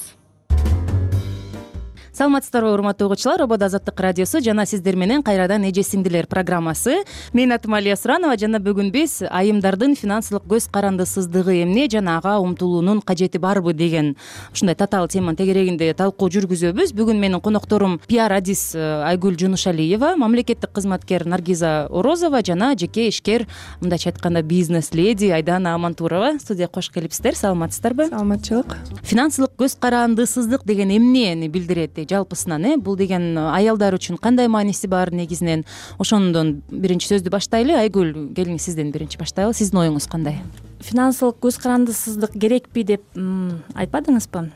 Саламатсыздарбы, урматтуу угуучулар, Обод Азаттык радиосу жана сиздер менен кайрадан эже сиңдилер программасы. Менин атым Алия Суранова жана бүгүн биз айымдардын финансылык көз карандысыздыгы эмне жана ага умтулуунун кажети барбы деген ушундай татаал теманын тегерегинде талкуу жүргүзөбүз. Бүгүн менин конокторум пиар адис Айгүл Жунушалиева, мамлекеттик кызматкер Наргиза Орозова жана жеке ишкер, мындайча айтканда бизнес леди Айдана Амантурова. Студияга кош келипсиздер. Саламатсыздарбы? Саламатчылык. Финансылык көз карандысыздык деген эмнени билдирет? Жалпысынан э бул деген аялдар үчүн кандай мааниси бар негизинен? Ошондон биринчи сөздү баштайлы. Айгүл, келиңиз сизден биринчи баштайлы. Сиздин оюңуз кандай? Финансылык көз карандысыздык керекпи деп айтпадыңызбы?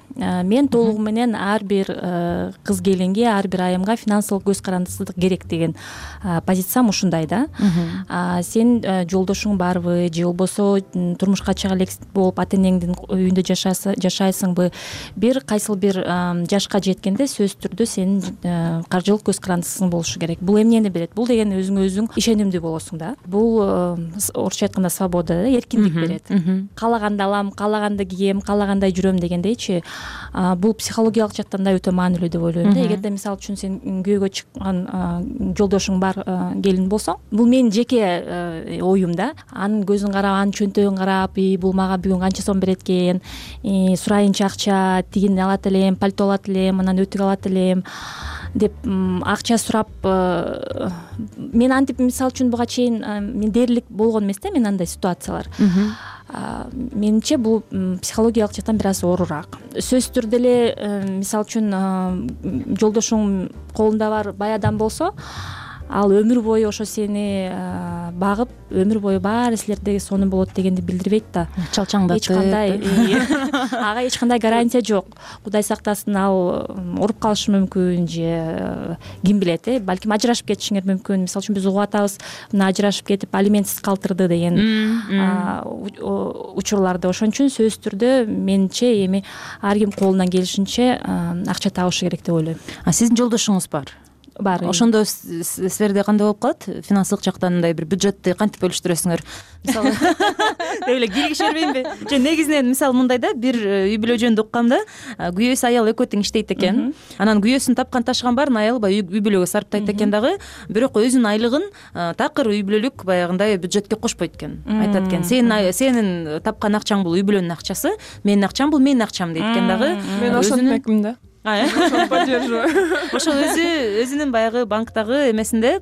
Мен толугу менен ар бир кыз келинге, ар бир айымга финансылык көз карандысыздык керек деген позициям ушундай да. Сен жолдошуң барбы же болбосо турмушка чыга элек болуп ата энеңдин үйүндө жашайсыңбы? Бир кайсыл бир жашка жеткенде сөзсүз түрдө сенин каржылык көз карандысың болушу керек. Бул эмнени берет? Бул деген өзүңө өзүң ишенимдүү болосуң да. Бул орусча айтканда свобода, эркиндик берет. Каалаганды алам, каалаганды кийем, каалагандай жүрөм дегендейчи. Бул психологиялык жактан да өтө маанилүү деп ойлойм да. Эгерде мисалы үчүн сен күйөөгө чыккан жолдошуң бар келин болсоң, бул менин жеке оюм да. Анын көзүн карап, анын чөнтөгүн карап, бул мага бүгүн канча сом берет экен, сурайынчы акча, тигини алат элем, пальто алат элем, анан өтүк алат элем деп акча сурап, мен антип мисалы үчүн буга чейин мен дээрлик болгон эмес да, мен андай ситуациялар. Менимче бул психологиялык жактан бир аз оорураак. Сөзсүз түрдө эле мисалы үчүн жолдошуң колунда бар бай адам болсо, ал өмүр бою ошо сени багып, өмүр бою баары силерде сонун болот дегенди билдирбейт да. Чалчаңдатып. Эч кандай ага эч кандай гарантия жок. Кудай сактасын, ал уруп калышы мүмкүн же ким билет, э, балким ажырашып кетишиңер мүмкүн. Мисалы үчүн биз угуп атабыз, мына ажырашып кетип алиментсиз калтырды деген учурларды. Ошон үчүн сөзсүз түрдө менимче эми ар ким колунан келишинче акча табышы керек деп ойлойм. А сиздин жолдошуңуз бар? Бар. Ошондо силерде кандай болуп калат? Финансылык жактан мындай бир бюджетти кантип бөлүштүрөсүңөр? Мисалы эле киргише бербеймби? Же негизинен мисалы мындай да, бир үй бүлө жөнүндө уккам да, күйөөсү аял экөө тең иштейт экен. Анан күйөөсүн тапкан ташыган баарын аялы баягы үй бүлөгө сарптайт экен дагы, бирок өзүнүн айлыгын такыр үй бүлөлүк баягындай бюджетке кошпойт экен. Айтат экен, сенин сенин тапкан акчаң бул үй бүлөнүн акчасы, менин акчам бул менин акчам дейт экен дагы. Мен ошентмекмин да. Ошол өзү өзүнүн баягы банктагы эмесинде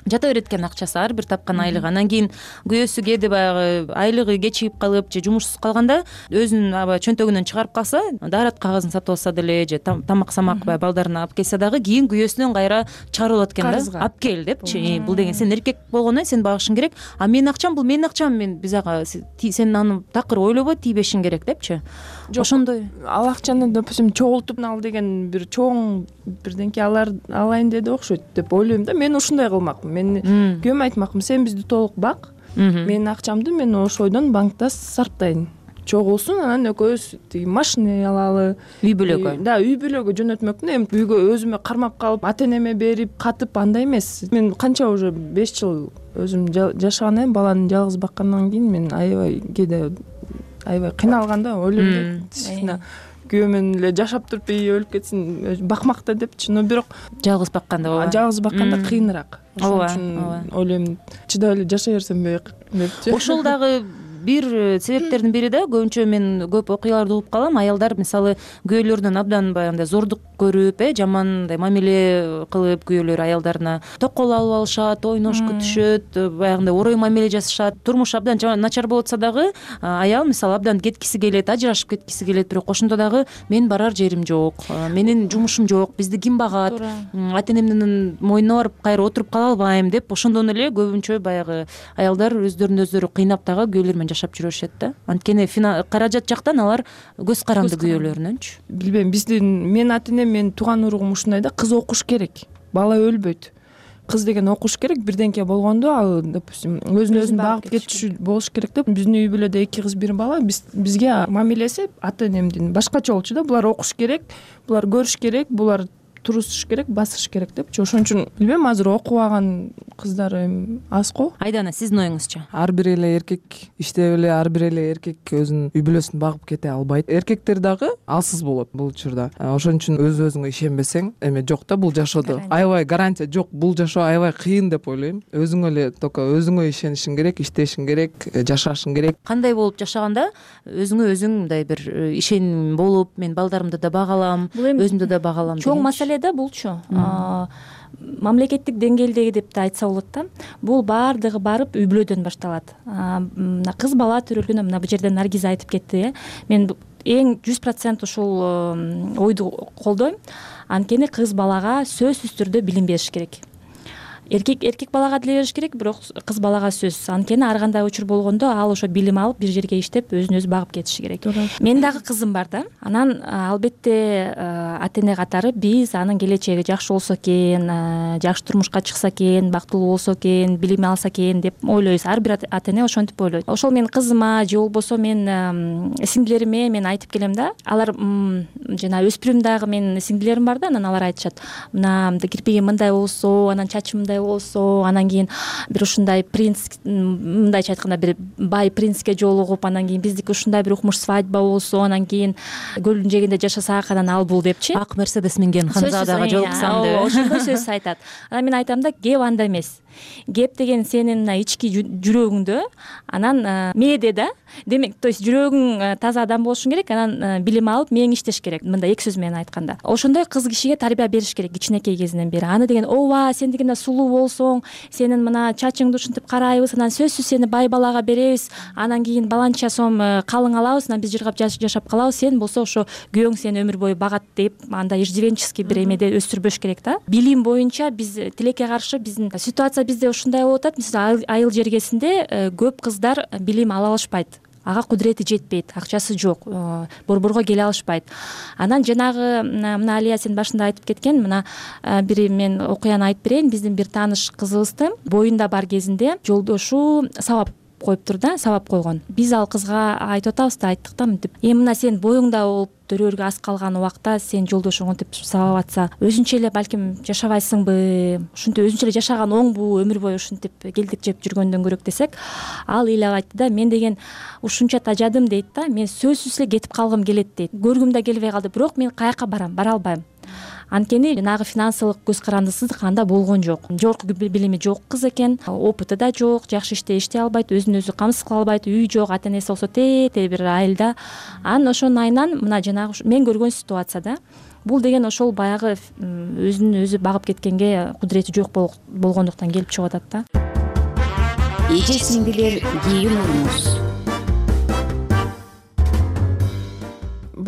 жата берет экен акчасы, ар бир тапкан айлыгы. Анан кийин күйөөсү кээде баягы айлыгы кечигип калып же жумушсуз калганда өзүнүн аба чөнтөгүнөн чыгарып калса, дарат кагазын сатып алса деле же тамак самак баягы балдарына алып келсе дагы кийин күйөөсүнөн кайра чыгарып алат экен да. Алып кел депчи. Бул деген сен эркек болгондон сен багышың керек. А менин акчам бул менин акчам, мен биз ага сен аны такыр ойлобой тийбешиң керек депчи. Ошондой. Ал акчаны, допустим, чогултуп ал деген бир чоң бирденке алар алайын деди окшойт деп ойлойм да. Мен ушундай кылмакмын. Мен күйөөмө айтмакмын, сен бизди толук бак, менин акчамды мен ошойдон банкта сарптайын. Чогулсун, анан экөөбүз тиги машина алалы, үй бүлөгө. Да, үй бүлөгө жөнөтмөкмүн. Эми үйгө өзүмө кармап калып, ата энеме берип, катып андай эмес. Мен канча уже беш жыл өзүм жашагандан, баланы жалгыз баккандан кийин мен аябай кээде аябай кыйналган да, ойлойм да. Күйөө менен эле жашап туруп өлүп кетсин, бакмакта депчи. Но бирок жалгыз бакканда ооба. Жалгыз бакканда кыйыныраак. Ошон үчүн ойлойм, чыдап эле жашай берсем депчи. Ошол дагы бир себептердин бири да көбүнчө мен көп окуяларды угуп калам, аялдар мисалы күйөөлөрүнөн абдан баягындай зордук көрүп, э жаман мындай мамиле кылып күйөөлөр аялдарына токол алып алышат, ойнош күтүшөт, баягындай орой мамиле жасашат. Турмуш абдан начар болуп атса дагы аял мисалы абдан кеткиси келет, ажырашып кеткиси келет, бирок ошондо дагы мен барар жерим жок, менин жумушум жок, бизди ким багат, ата энемдин мойнуна барып кайра отуруп кала албайм деп ошондон эле көбүнчө баягы аялдар өздөрүн өздөрү кыйнап дагы күйөөлөр менен жашап жүрүшөт да. Анткени каражат жактан алар көз каранды күйөөлөрүнөнчү. Билбейм, биздин менин ата энем, менин тууган уругум ушундай да, кыз окуш керек, бала өлбөйт. Кыз деген окуш керек, бирденке болгондо ал допустим өзүн өзүн багып кетчү болуш керек деп. Биздин үй бүлөдө эки кыз бир бала, биз бизге мамилеси ата энемдин башкача болчу да. Булар окуш керек, булар көрүш керек, булар турушуш керек, басыш керек депчи. Ошон үчүн билбейм, азыр окубаган кыздар эми аз го. Айдана, сиздин оюңузча? Ар бир эле эркек иштеп эле, ар бир эле эркек өзүнүн үй бүлөсүн багып кете албайт. Эркектер дагы алсыз болот бул учурда. Ошон үчүн өз өзүңө ишенбесең, эме жок да бул жашоодо. Аябай гарантия жок, бул жашоо аябай кыйын деп ойлойм. Өзүңө эле только өзүңө ишенишиң керек, иштешиң керек, жашашың керек. Кандай болуп жашаганда өзүңө өзүң мындай бир ишеним болуп, мен балдарымды да бага алам, өзүмдү да бага алам. Чоң маселе да булчу. Мамлекеттик деңгээлдеги деп да айтса болот да. Бул баардыгы барып үй бүлөдөн башталат. Мына кыз бала төрөлгөндө мына бул жерден Наргиза айтып кетти, э. Мен эң жүз процент ушул ойду колдойм. Анткени кыз балага сөзсүз түрдө билим бериш керек. Эркек эркек балага деле бериш керек, бирок кыз балага сөзсүз. Анткени ар кандай учур болгондо ал ошо билим алып бир жерге иштеп өзүн өзү багып кетиши керек. Менин дагы кызым бар да. Анан албетте ата эне катары биз анын келечеги жакшы болсо экен, жакшы турмушка чыкса экен, бактылуу болсо экен, билим алса экен деп ойлойбуз. Ар бир ата эне ошентип ойлойт. Ошол менин кызыма же болбосо мен сиңдилериме мен айтып келем да. Алар жана өспүрүм дагы менин сиңдилерим бар да, анан алар айтышат. Мына кирпигим мындай болсо, анан чачым мындай болсо, анан кийин бир ушундай принц, мындайча айтканда бир бай принцке жолугуп, анан кийин биздики ушундай бир укмуш свадьба болсо, анан кийин көлдүн жээгинде жашасак, анан ал бул депчи. Ак мерседес минген ханзадага жолуксам деп. Ошондой сөз айтат. Анан мен айтам да, кеп анда эмес. Кеп деген сенин мына ички жүрөгүңдө, анан мээде да. Демек, то есть жүрөгүң таза адам болушуң керек, анан билим алып мээң иштеш керек. Мындай эки сөз менен айтканда. Ошондой кыз кишиге тарбия бериш керек кичинекей кезинен бери. Аны деген ооба, сен дегенде сулуу болсоң, сенин мына чачыңды ушинтип карайбыз, анан сөзсүз сени бай балага беребиз, анан кийин баланча сом калың алабыз, анан биз жыргап жашап калабыз, сен болсо ошо күйөөң сени өмүр бою багат деп, андай иждивенческий бир эмеде өстүрбөш керек да. Билим боюнча биз тилекке каршы биздин ситуация бизде ушундай болуп атат. Мисалы айыл жергесинде көп кыздар билим ала алышпайт. Ага кудурети жетпейт, акчасы жок, борборго келе алышпайт. Анан жанагы мына Алия сен башында айтып кеткен, мына бир мен окуяны айтып берейин. Биздин бир тааныш кызыбызды боюнда бар кезинде жолдошу сабап коюптур да, сабап койгон. Биз ал кызга айтып атабыз да, айттык да мынтип. Эми мына сен боюңда болуп төрөөргө аз калган убакта сен жолдошуң мынтип сабап атса, өзүнчө эле балким жашабайсыңбы, ушинтип өзүнчө эле жашаган оңбу, өмүр бою ушинтип келдик жеп жүргөндөн көрөк десек, ал ыйлап айтты да, мен деген ушунча тажадым дейт да, мен сөзсүз эле кетип калгым келет дейт. Көргүм да келбей калды, бирок мен каяка барам, бара албайм. Анткени жанагы финансылык көз карандысыздык анда болгон жок. Жогорку билими жок кыз экен, опыты да жок, жакшы иште иштей албайт, өзүн өзү камсыз кыла албайт, үй жок, ата энеси болсо тээ бир айылда. Анан ошонун айынан мына жанагы мен көргөн ситуацияда бул деген ошол баягы өзүн өзү багып кеткенге кудурети жок болгондуктан келип чыгып атат да. Эже сиңдилер кийин урмуз.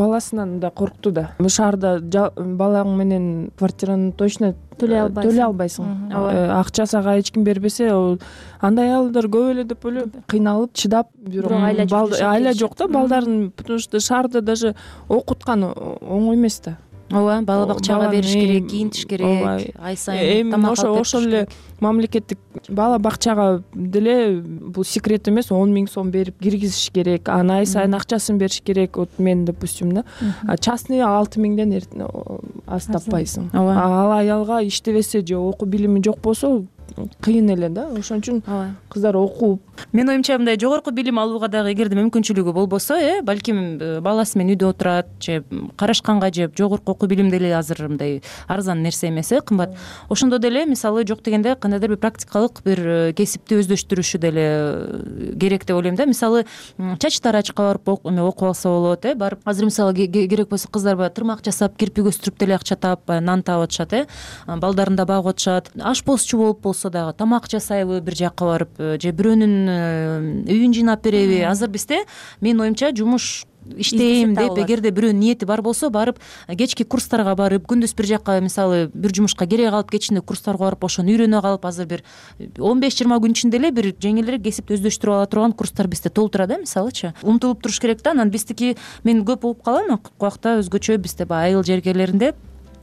Баласынан да коркту да. Шаарда балаң менен квартираны точно төлөй албайсың. Төлөй албайсың. Акчасы ага эч ким бербесе, андай аялдар көп эле деп ойлойм. Кыйналып, чыдап, бирок айла жок да балдарын, потому что шаарда даже окуткан оңой эмес да. Ооба, бала бакчага бериш керек, кийинтиш керек, ай сайын тамак алып бериш. Ошол эле мамлекеттик бала бакчага деле бул секрет эмес, он миң сом берип киргизиш керек, анан ай сайын акчасын бериш керек. Вот мен допустим да, частный алты миңден аз таппайсың. Ал аялга иштебесе же окуу билими жок болсо, кыйын эле да, ошон үчүн кыздар окуп. Менин оюмча мындай жогорку билим алууга дагы эгерде мүмкүнчүлүгү болбосо, э балким баласы менен үйдө отурат же карашканга же жогорку окуу билим деле азыр мындай арзан нерсе эмес, э кымбат. Ошондо деле мисалы жок дегенде кандайдыр бир практикалык бир кесипти өздөштүрүшү деле керек деп ойлойм да. Мисалы чач тарачка барып окуп алса болот, э барып азыр мисалы керек болсо кыздар баягы тырмак жасап, кирпик өстүрүп деле акча таап, нан таап атышат, э балдарын да багып атышат. Ашпозчу болуп болсо дагы тамак жасайбы бир жакка барып, же бирөөнүн үйүн жыйнап береби. Азыр бизде менин оюмча жумуш иштейм деп эгерде бирөөнүн ниети бар болсо, барып кечки курстарга барып, күндүз бир жака мисалы бир жумушка керек калып, кечинде курстарга барып ошону үйрөнө калып, азыр бир он беш жыйырма күн ичинде эле бир жеңилирээк кесипти өздөштүрүп ала турган курстар бизде толтура да, мисалычы. Умтулуп туруш керек да. Анан биздики мен көп угуп калам, акыбакта өзгөчө бизде баягы айыл жергелеринде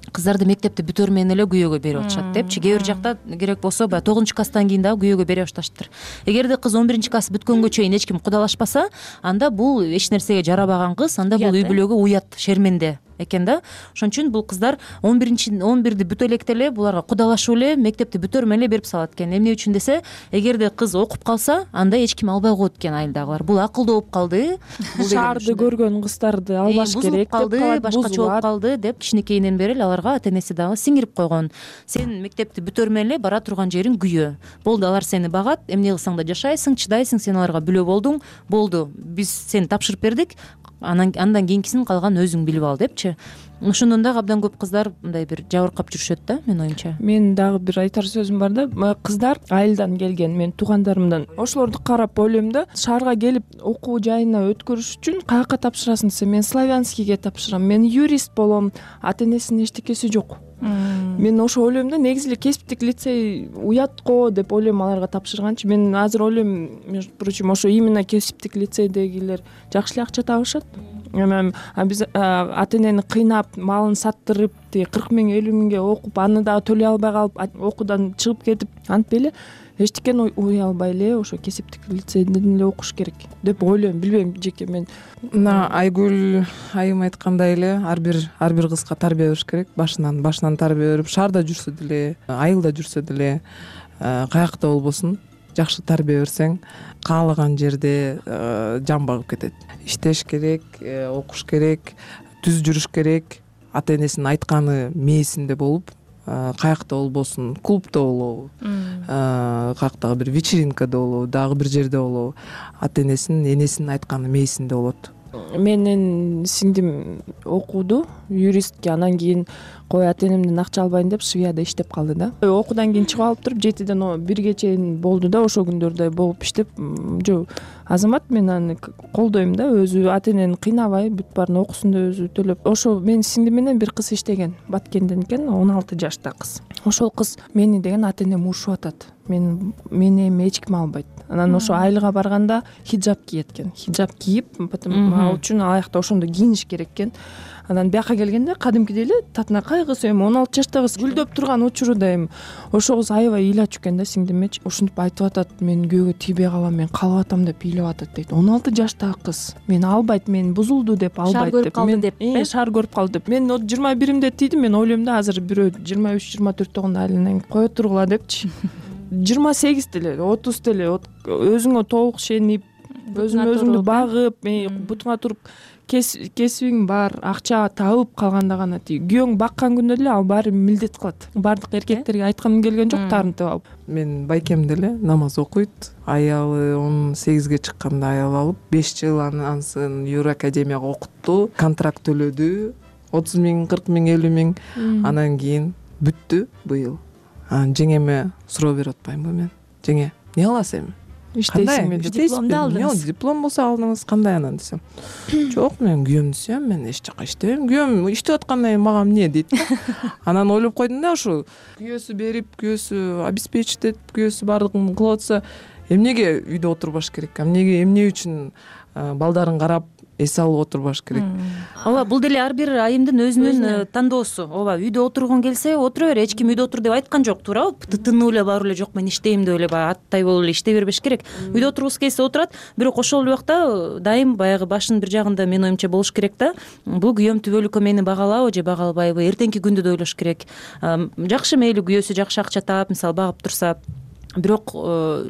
кыздарды мектепти бүтөр менен эле күйөөгө берип атышат депчи. Кээ бир жакта керек болсо баягы тогузунчу класстан кийин дагы күйөөгө бере башташыптыр. Эгерде кыз он биринчи класс бүткөнгө чейин эч ким кудалашпаса, анда бул эч нерсеге жарабаган кыз, анда бул үй бүлөгө уят, шерменде экен да. Ошон үчүн бул кыздар он биринчи он бирди бүтө электе эле буларга кудалашып эле мектепти бүтөр менен эле берип салат экен. Эмне үчүн десе, эгерде кыз окуп калса, анда эч ким албай коет экен айылдагылар. Бул акылдуу болуп калды, шаарды көргөн кыздарды албаш керек деп калды, башкача болуп калды деп кичинекейинен бери эле аларга ата энеси дагы сиңирип койгон. Сен мектепти бүтөр менен эле бара турган жериң күйөө. Болду, алар сени багат, эмне кылсаң да жашайсың, чыдайсың, сен аларга бүлө болдуң. Болду, биз сени тапшырып бердик. Анан андан кийинкисин калган өзүң билип ал депчи. Ошондон дагы абдан көп кыздар мындай бир жабыркап жүрүшөт да, менин оюмча. Менин дагы бир айтар сөзүм бар да. Кыздар айылдан келген, менин туугандарымдан. Ошолорду карап ойлойм да, шаарга келип окуу жайына өткөрүш үчүн каяка тапшырасың десе, мен славянскийге тапшырам, мен юрист болом, ата энесинин эчтекеси жок. Мен ошо ойлойм да, негизи эле кесиптик лицей уят го деп ойлойм аларга тапшырганчы. Мен азыр ойлойм, между прочим, ошо именно кесиптик лицейдегилер жакшы эле акча табышат. Эми биз ата энени кыйнап, малын саттырып, кырк миң элүү миңге окуп, аны дагы төлөй албай калып, окуудан чыгып кетип, антип эле эчтекени уй албай эле ошо кесиптик лицейден эле окуш керек деп ойлойм. Билбейм, жеке мен. Мына Айгүл айым айткандай эле, ар бир ар бир кызга тарбия бериш керек. Башынан башынан тарбия берип, шаарда жүрсө деле, айылда жүрсө деле, каякта болбосун, жакшы тарбия берсең, каалаган жерде жан багып кетет. Иштеш керек, окуш керек, түз жүрүш керек, ата энесинин айтканы мээсинде болуп, каякта болбосун, клубда болобу, каяктагы бир вечеринкада болобу, дагы бир жерде болобу, ата энесинин энесинин айтканы мээсинде болот. Менин сиңдим окуду, юристке, анан кийин кой ата энемден акча албайын деп Швияда иштеп калды да. Окуудан кийин чыгып алып туруп жетиден бирге чейин болду да, ошол күндөрдө болуп иштеп, жок азамат, мен аны колдойм да, өзү ата энени кыйнабай, бүт баарын окуусун да өзү төлөп. Ошо менин сиңдим менен бир кыз иштеген, Баткенден экен, он алты жашта кыз. Ошол кыз мени деген ата энем урушуп атат. Мен мени эми эч ким албайт. Анан ошо айылга барганда хиджаб кийет экен. Хиджаб кийип, ал үчүн аякта ошондо кийиниш керек экен. Анан бияка келгенде кадимкидей эле татынакай кыз, эми он алты жаштагы кыз гүлдөп турган учурда эми ошо кыз аябай ыйлачу экен да сиңдимечи. Ошентип айтып атат, мен күйөөгө тийбей калам, мен калып атам деп ыйлап атат дейт. он алты жаштагы кыз мени албайт, мен бузулду деп албайт деп. Шаар көрүп калды деп. Шаар көрүп калды деп. Мен жыйырма биримде тийдим, мен ойлойм да, азыр бирөө жыйырма үч жыйырма төрт болгондо айланайын, кое тургула депчи. жыйырма сегиз деле, отуз деле өзүңө толук ишенип, өзүң өзүңдү багып, бутуңа туруп кесибиң бар, акча табып калганда гана тиги күйөөң баккан күндө деле ал баары милдет кылат. Бардык эркектерге айткым келген жок, таарынтып алып. Мен байкем деле намаз окуйт. Аялы он сегизге чыкканда аял алып, беш жыл ансын юракадемияга окутту, контракт төлөдү, отуз миң, кырк миң, элүү миң. Анан кийин бүттү быйыл. Анан жеңеме суроо берип атпаймынбы мен? Жеңе, эмне кыласың эми? Иштейсиңби? Дипломду алдыңыз. Диплом болсо алдыңыз, кандай анан десем. Жок, мен күйөөмдү сүйөм, мен эч жака иштебейм. Күйөөм иштеп атканда мага эмне дейт да. Анан ойлоп койдум да, ушу күйөөсү берип, күйөөсү обеспечить этип, күйөөсү баардыгын кылып атса, эмнеге үйдө отурбаш керек? Эмнеге, эмне үчүн балдарын карап эс алып отурбаш керек? Ооба, бул деле ар бир айымдын өзүнүн тандоосу. Ооба, үйдө отургуң келсе отура бер, эч ким үйдө отур деп айткан жок, туурабы? Тытынып эле барып эле жок мен иштейм деп эле баягы аттай болуп эле иштей бербеш керек. Үйдө отургусу келсе отурат, бирок ошол эле убакта дайым баягы башынын бир жагында менин оюмча болуш керек да. Бул күйөөм түбөлүккө мени багалабы же бага албайбы? Эртеңки күндү да ойлош керек. Жакшы, мейли күйөөсү жакшы акча таап, мисалы багып турса, бирок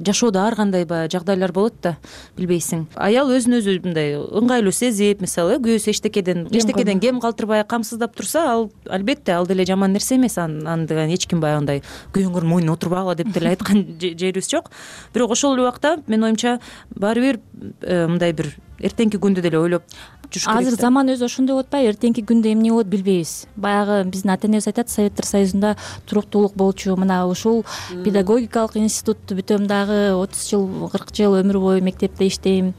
жашоодо ар кандай баягы жагдайлар болот да, билбейсиң. Аял өзүн өзү мындай ыңгайлуу сезип, мисалы күйөөсү эчтекеден эчтекеден кем калтырбай камсыздап турса, ал албетте ал деле жаман нерсе эмес. Аны деген эч ким баягындай күйөөңөрдүн мойнуна отурбагыла деп деле айткан жерибиз жок. Бирок ошол эле убакта менин оюмча баары бир мындай бир эртеңки күндү деле ойлоп жүрүш керек. Азыр заман өзү ошондой болуп атпайбы? Эртеңки күндө эмне болот билбейбиз. Баягы биздин ата энебиз айтат, Советтер Союзунда туруктуулук болчу. Мына ушул педагогикалык институтту бүтөм дагы отуз жыл, кырк жыл өмүр бою мектепте иштейм.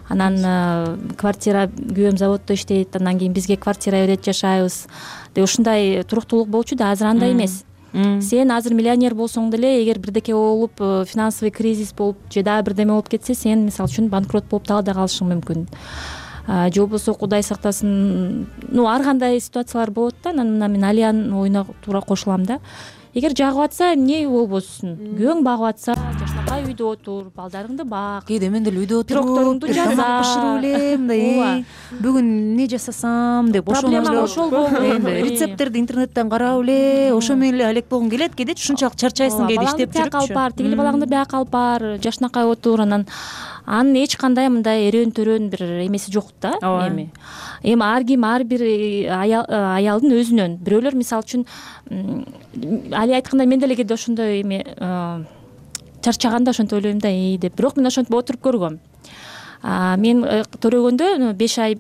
Анан квартира, күйөөм заводдо иштейт, андан кийин бизге квартира берет, жашайбыз. Деп ушундай туруктуулук болчу да, азыр андай эмес. Сен азыр миллионер болсоң деле, эгер бирдеке болуп, финансовый кризис болуп, же дагы бирдеме болуп кетсе, сен мисалы үчүн банкрот болуп дагы да калышың мүмкүн. Же болбосо Кудай сактасын, ну ар кандай ситуациялар болот да. Анан мына мен Алиянын оюна туура кошулам да. Эгер жагып атса, эмне болбосун? Күйөөң багып атса, жашнакай үйдө отур, балдарыңды бак. Кээде мен деле үйдө отуруп, пирогторуңду жаза, тамак бышырып элем, мындай бүгүн эмне жасасам деп проблема ошол болду. Рецепттерди интернеттен карап эле, ошо менен эле алек болгуң келет. Кээде ушунчалык чарчайсың, кээде иштеп жүрүп. Балаңды алып бар, тигил балаңды бияка алып бар, жашнакай отур. Анан анын эч кандай мындай эрен төрөн бир эмеси жок да. Эми эми ар ким ар бир аялдын өзүнөн. Бирөөлөр мисалы үчүн Али айткандай мен деле кээде ошондой эми чарчаганда ошентип ойлойм да, эй деп. Бирок мен ошентип отуруп көргөм. Мен төрөгөндө беш ай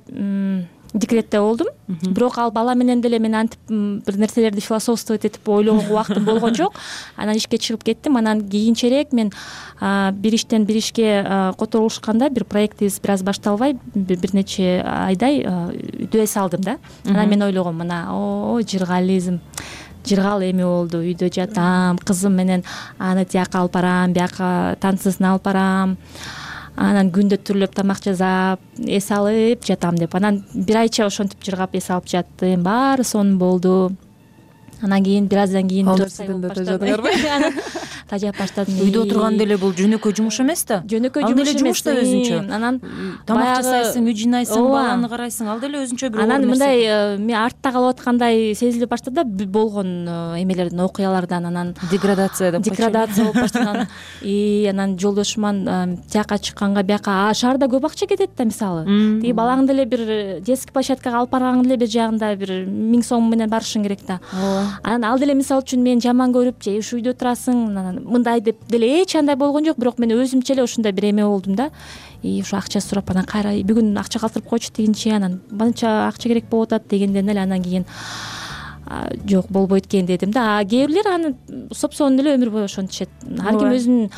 декретте болдум. Бирок ал бала менен деле мен антип бир нерселерди философствовать этип ойлогонго убактым болгон жок. Анан ишке чыгып кеттим. Анан кийинчерээк мен бир иштен бир ишке которулушканда бир проектибиз бир аз башталбай бир нече айдай үдө эс алдым да. Анан мен ойлогом, мына о жыргализм жыргал эми болду, үйдө жатам, кызым менен аны тияка алып барам, бияка танцысын алып барам. Анан күндө түрлөп тамак жасап, эс алып жатам деп. Анан бир айча ошентип жыргап эс алып жаттым. Баары сонун болду. Анан кийин бир аздан кийин тажап баштадым. Үйдө отурган деле бул жөнөкөй жумуш эмес да. Жөнөкөй жумуш да өзүнчө. Анан тамак жасайсың, үй жыйнайсың, баланы карайсың, ал деле өзүнчө бир. Анан мындай мен артта калып аткандай сезилип баштады да, болгон эмелерден, окуялардан. Анан деградация деп деградация болуп баштаган. И анан жолдошуман тияка чыкканга бияка шаарда көп акча кетет да, мисалы. Тиги балаңды деле бир детский площадкага алып баргаң деле бир жагында бир миң сом менен барышың керек да. Анан ал деле мисалы үчүн мен жаман көрүп, же ушу үйдө турасың, мындай деп деле эч андай болгон жок. Бирок мен өзүмчө эле ушундай бир эме болдум да. И ушу акча сурап, анан кайра бүгүн акча калтырып койчу дегенче, анан мынча акча керек болуп атат дегенден эле анан кийин жок болбойт экен дедим да. А кээ бирлер аны сопсонун эле өмүр бою ошентишет. Ар ким өзүнүн.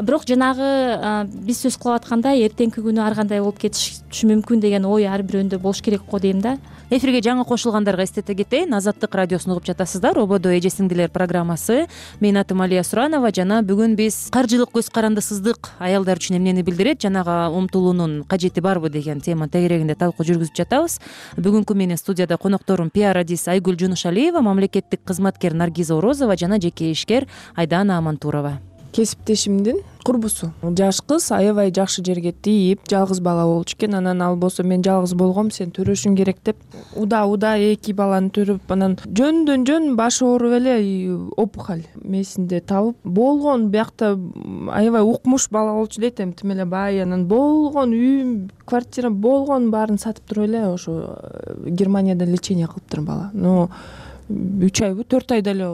Бирок жанагы биз сөз кылып аткандай эртеңки күнү ар кандай болуп кетиши мүмкүн деген ой ар бирөөндө болуш керек го дейм да. Эфирге жаңы кошулгандарга эстете кетейин. Азаттык радиосун угуп жатасыздар. Ободо эже сиңдилер программасы. Менин атым Алия Суранова жана бүгүн биз каржылык көз карандысыздык аялдар үчүн эмнени билдирет, жанага умтулуунун кажети барбы деген тема тегерегинде талкуу жүргүзүп жатабыз. Бүгүнкү менин студияда конокторум пиар адис Айгүл Жунушалиева, мамлекеттик кызматкер Наргиза Орозова жана жеке ишкер Айдана Амантурова. Кесиптешимдин курбусу. Жаш кыз аябай жакшы жерге тийип, жалгыз бала болчу экен. Анан ал болсо мен жалгыз болгом, сен төрөшүң керек деп уда-уда эки баланы төрөп, анан жөндөн жөн башы ооруп эле опухоль мээсинде табып болгон. Биякта аябай укмуш бала болчу дейт, эми тим эле бай. Анан болгон үй, квартира болгон баарын сатып туруп эле ошо Германияда лечение кылыптыр бала. Но үч айбы төрт айда эле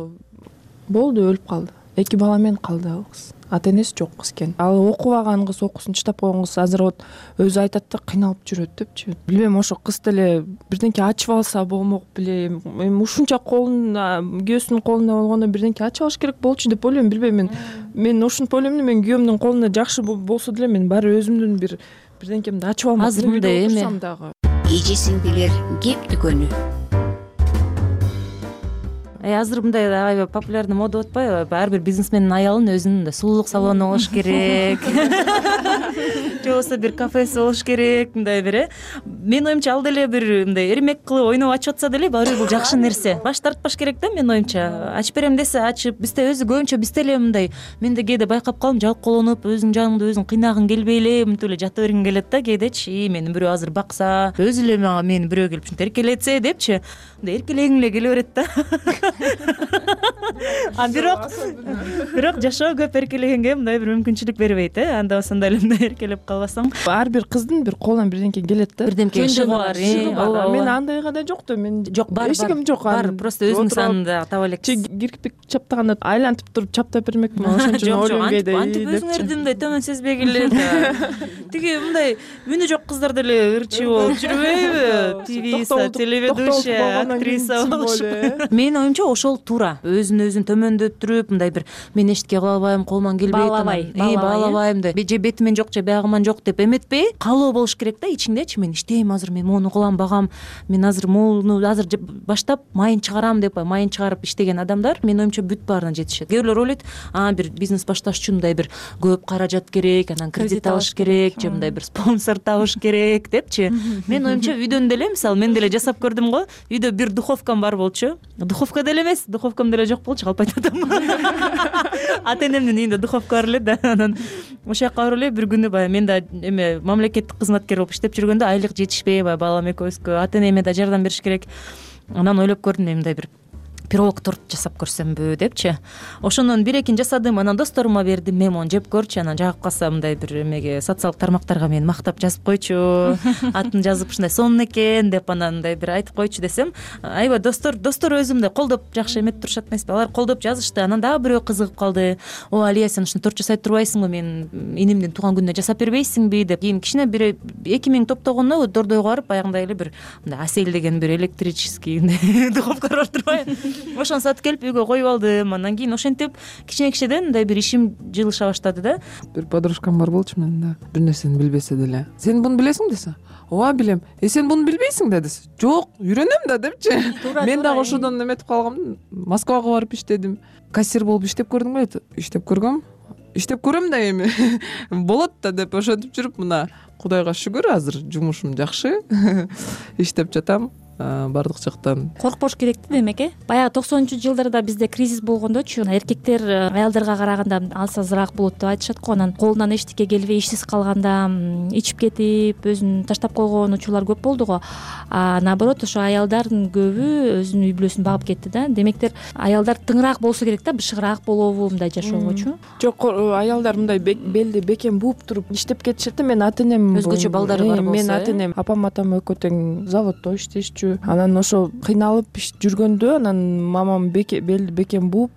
болду, өлүп калды. Эки бала менен калды ал кыз. Ата энеси жок кыз экен. Ал окубаган кыз, окуусун чыштап койгон кыз азыр вот өзү айтат да, кыйналып жүрөт депчи. Билбейм, ошо кыз деле бирдеңке ачып алса болмок беле. Эми ушунча колун, күйөөсүнүн колунда болгондо бирдеңке ачып алыш керек болчу деп ойлойм. Билбейм, мен мен ушинтип ойлойм да, мен күйөөмдүн колунда жакшы болсо деле мен баары өзүмдүн бир бирдеңкемди ачып алмак. Азыр мындай эме дагы. Эже сиңдилер кеп дүкөнү. Азыр мындай аябай популярный мода болуп атпайбы? Ар бир бизнесмендин аялын өзүнүн сулуулук салону болуш керек. Же болбосо бир кафеси болуш керек, мындай бир э. Менин оюмча ал деле бир мындай эрмек кылып ойноп ачып атса деле баары бир бул жакшы нерсе. Баш тартпаш керек да, менин оюмча. Ачып берем десе ачып, бизде өзү көбүнчө бизде эле мындай, мен да кээде байкап калам, жалкоолонуп, өзүң жаныңда өзүң кыйнагың келбей эле мынтип эле жата бергиң келет да кээдечи. Мени бирөө азыр бакса, өзү эле мага мени бирөө келип ушинтип эркелетсе депчи. Мындай эркелегиң эле келе берет да. а бирок бирок жашоо көп эркелегенге мындай бир мүмкүнчүлүк бербейт э анда ошондой эле мындай эркелеп калбасаң. Ар бир кыздын бир колунан бирдемке келет да. Бирдемке шыгы бар. ооба. Мен андайга да жок да, мен жок бар. Эчким жок. Бар, просто өзүңүз аны таба элексиз. Кирпик чаптаганда айлантып туруп чаптап бермекмин, ошон үчүн ойлонбойт. Антип өзүңөрдү мындай төмөн сезбегиле да. Тиги мындай үнү жок кыздар деле ырчы болуп жүрбөйбү? Твиса, телеведущая, актриса болушуп. Менин оюмча ошол туура. Өзүн өзүн төмөндөттүрүп, мындай бир мен эчтеке кыла албайм, колуман келбейт, баалабай, баалабайм деп, же бетимен жок, же биягыман жок деп эметпей, каалоо болуш керек да ичиңдечи. Мен иштейм азыр, мен моуну кылам, багам, мен азыр моуну азыр баштап майын чыгарам деп, майын чыгарып иштеген адамдар менин оюмча бүт баарына жетишет. Кээ бирлер ойлойт, а бир бизнес башташ үчүн мындай бир көп каражат керек, анан кредит алыш керек, же мындай бир спонсор табыш керек депчи. Менин оюмча үйдөн деле, мисалы мен деле жасап көрдүм го. Үйдө бир духовкам бар болчу. Духовка деле эмес, духовкам деле жок болчу, калп айтатам. Ата энемдин үйүндө духовка бар эле да. Анан ошол жака барып эле бир күнү баягы мен да эме мамлекеттик кызматкер болуп иштеп жүргөндө айлык жетишпей, баягы балам экөөбүзгө ата энеме да жардам бериш керек. Анан ойлоп көрдүм, мындай бир пирог торт жасап көрсөмбү депчи. Ошонун бир экин жасадым, анан досторума бердим, мен мону жеп көрчү, анан жагып калса мындай бир эмеге социалдык тармактарга мени мактап жазып койчу, атын жазып ушундай сонун экен деп анан мындай бир айтып койчу десем, аябай достор достор өзүмдү колдоп жакшы эметип турушат эмеспи? Алар колдоп жазышты. Анан дагы бирөө кызыгып калды. О, Алия, сен ушуну торт жасай турбайсыңбы? Мен инимдин тууган күнүнө жасап бербейсиңби деп. Кийин кичине бир эки миң топтогондо дордойго барып баягындай эле бир мындай Асель деген бир электрический духовка бар турбайбы? Ошону сатып келип үйгө коюп алдым. Андан кийин ошентип кичине кичинеден мындай бир ишим жылыша баштады да. Бир подружкам бар болчу менин да. Бир нерсени билбесе деле. Сен буну билесиң десе, ооба билем. Э сен буну билбейсиң да десе, жок, үйрөнөм да депчи. Мен дагы ошодон эметип калгам. Москвага барып иштедим. Кассир болуп иштеп көрдүң беле? Иштеп көргөм. Иштеп көрөм да эми. Болот да деп ошентип жүрүп, мына Кудайга шүгүр азыр жумушум жакшы. Иштеп жатам. Бардык жактан коркпош керек да, демек э баягы токсонунчу жылдарда бизде кризис болгондочу эркектер аялдарга караганда алсазыраак болот деп айтышат го. Анан колунан эчтеке келбей ишсиз калганда ичип кетип өзүн таштап койгон учурлар көп болду го. А наоборот, ошо аялдардын көбү өзүнүн үй бүлөсүн багып кетти да. Демектер аялдар тыңыраак болсо керек да, бышыгыраак болобу мындай жашоогочу. Жок, аялдар мындай белди бекем бууп туруп иштеп кетишет да. Мен ата энем өзгөчө балдары бар болсо, мен ата энем апам атам экөө тең заводдо иштешчү. Анан ошо кыйналып жүргөндө анан мамам белди бекем бууп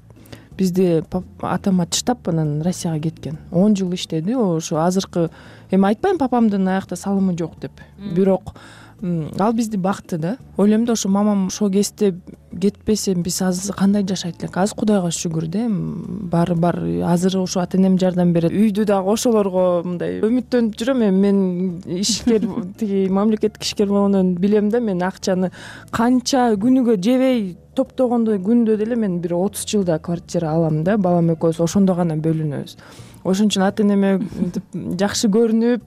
бизди атама таштап анан Россияга кеткен. он жыл иштеди. Ошо азыркы эми айтпайм папамдын аякта салымы жок деп. Бирок ал бизди бакты да. Ойлойм да, ошо мамам ошол кезде кетпесе биз азыр кандай жашайт элек? Азыр Кудайга шүгүр да, баары бар. Азыр ошо ата энем жардам берет. Үйдү дагы ошолорго мындай үмүттөнүп жүрөм. Эми мен ишкер тиги мамлекеттик ишкер болгондон билем да, мен акчаны канча күнүгө жебей топтогондо күндө деле мен бир отуз жылда квартира алам да. Балам экөөбүз ошондо гана бөлүнөбүз. Ошон үчүн ата энеме жакшы көрүнүп,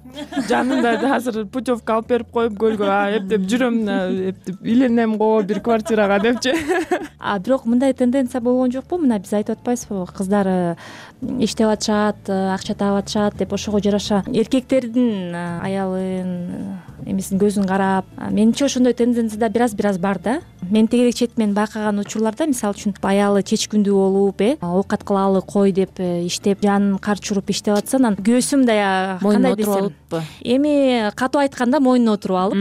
жанында азыр путевка алып берип коюп көлгө эптеп жүрөм, эптеп үйленем го бир квартирага депчи. А бирок мындай тенденция болгон жокпу? Мына биз айтып атпайбызбы, кыздар иштеп атышат, акча таап атышат деп, ошого жараша эркектердин аялын эмесин көзүн карап. Менимче ошондой тенденция да бир аз бир аз бар да. Мен тегерек четимен байкаган учурларда, мисалы үчүн аялы чечкүндүү болуп, э оокат кылалы кой деп иштеп, жанын карчы уруп иштеп атса, анан көөсү мындай кандай десем, эми катуу айтканда мойнуна отуруп алып,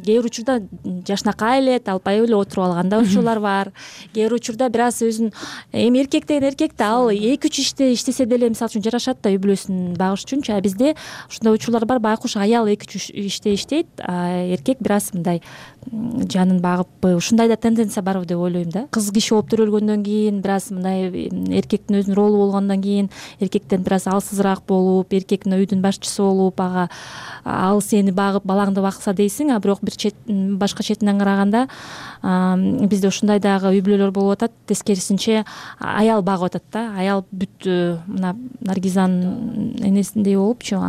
кээ бир учурда жашнакай эле албай эле отуруп алган да учурлар бар. Кээ бир учурда бир аз өзүн, эми эркек деген эркек да, ал эки үч иште иштесе деле мисалы үчүн жарашат да үй бүлөсүн багыш үчүнчү. А бизде ушундай учурлар бар, байкуш аял эки үч иште иштейт, а эркек бир аз мындай жанын багыппы, ушундай да тенденция барбы деп ойлойм да. Кыз киши болуп төрөлгөндөн кийин, бир аз мындай эркектин өзүнүн ролу болгондон кийин, эркектен бир аз алсызыраак болуп, эркек үйдүн башчысы болуп, ага ал сени багып, балаңды бакса дейсиң, а бирок бир чет башка четинен караганда бизде ушундай дагы үй бүлөлөр болуп атат. Тескерисинче аял багып атат да. Аял бүт мына Наргизанын энесиндей болупчу,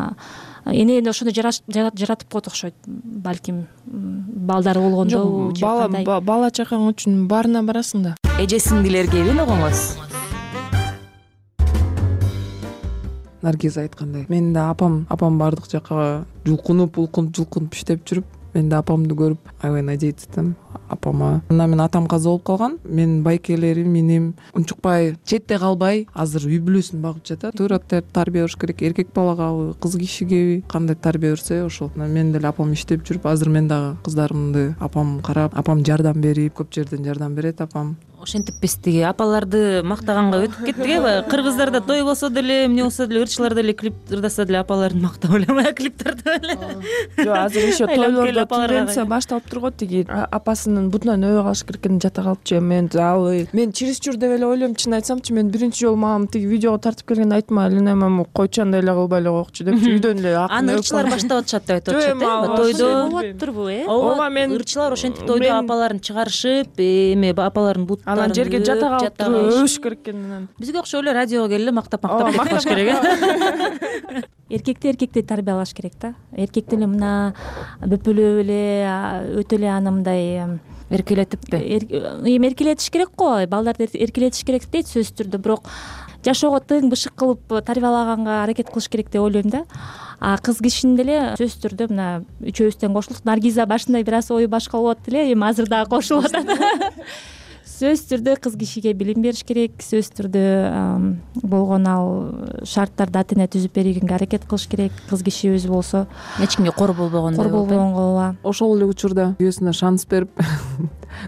эне ошондой жаратып коет окшойт. Балким балдары болгондо же кандай. Бала чакаң үчүн баарына барасың да. Эже сиңдилерге эмне угуңуз? Наргиза айткандай, мен да апам апам бардык жакка жулкунуп улкунуп жулкунуп иштеп жүрүп, мен да апамды көрүп аябай надеяться этем. апама. Анан мен атам каза болуп калган, менин байкелерим, иним унчукпай четте калбай азыр үй бүлөсүн багып жатат. Туура тарбия бериш керек, эркек балагабы, кыз кишигеби, кандай тарбия берсе ошол. Мен деле апам иштеп жүрүп, азыр мен дагы кыздарымды апам карап, апам жардам берип, көп жерден жардам берет апам. Ошентип биз тиги апаларды мактаганга өтүп кеттик э. Кыргыздарда той болсо деле, эмне болсо деле, ырчылар деле клип ырдаса деле апаларын мактап эле, клип тартып эле. Жок, азыр еще тойлордо тенденция башталып турго, тиги апасынын бутунан өбө калыш керек экенин жата калыпчы. Мен ал мен чересчур деп эле ойлойм, чын айтсамчы. Мен биринчи жолу мамам тиги видеого тартып келгенде айтма, Алина мама койчу андай эле кылбай эле койчу депчи, үйдөн эле акын. Аны ырчылар баштап атышат деп айтып атышат э. Тойдо болот турбу э? Ооба, мен ырчылар ошентип тойдо апаларын чыгарышып, эме апаларын буттарын анан жерге жата калып туруп өбүш керек экен. Бизге окшоп эле радиого келип мактап мактап кетип калыш керек э. Эркекти эркектей тарбиялаш керек да. Эркек деле мына бөпөлөп эле, өтө эле аны мындай эркелетиппи? Эми эркелетиш керек го, балдарды эркелетиш керек дейт сөзсүз түрдө, бирок жашоого тың бышык кылып тарбиялаганга аракет кылыш керек деп ойлойм да. А кыз кишинин деле сөзсүз түрдө мына үчөөбүздөн кошулдук. Наргиза башында бир аз ою башка болуп атты эле, эми азыр дагы кошулуп атат. Сөзсүз түрдө кыз кишиге билим бериш керек, сөзсүз түрдө болгон ал шарттарды ата эне түзүп бергенге аракет кылыш керек. Кыз киши өзү болсо эч кимге кор болбогондой, кор болбогонго ооба. Ошол эле учурда күйөөсүнө шанс берип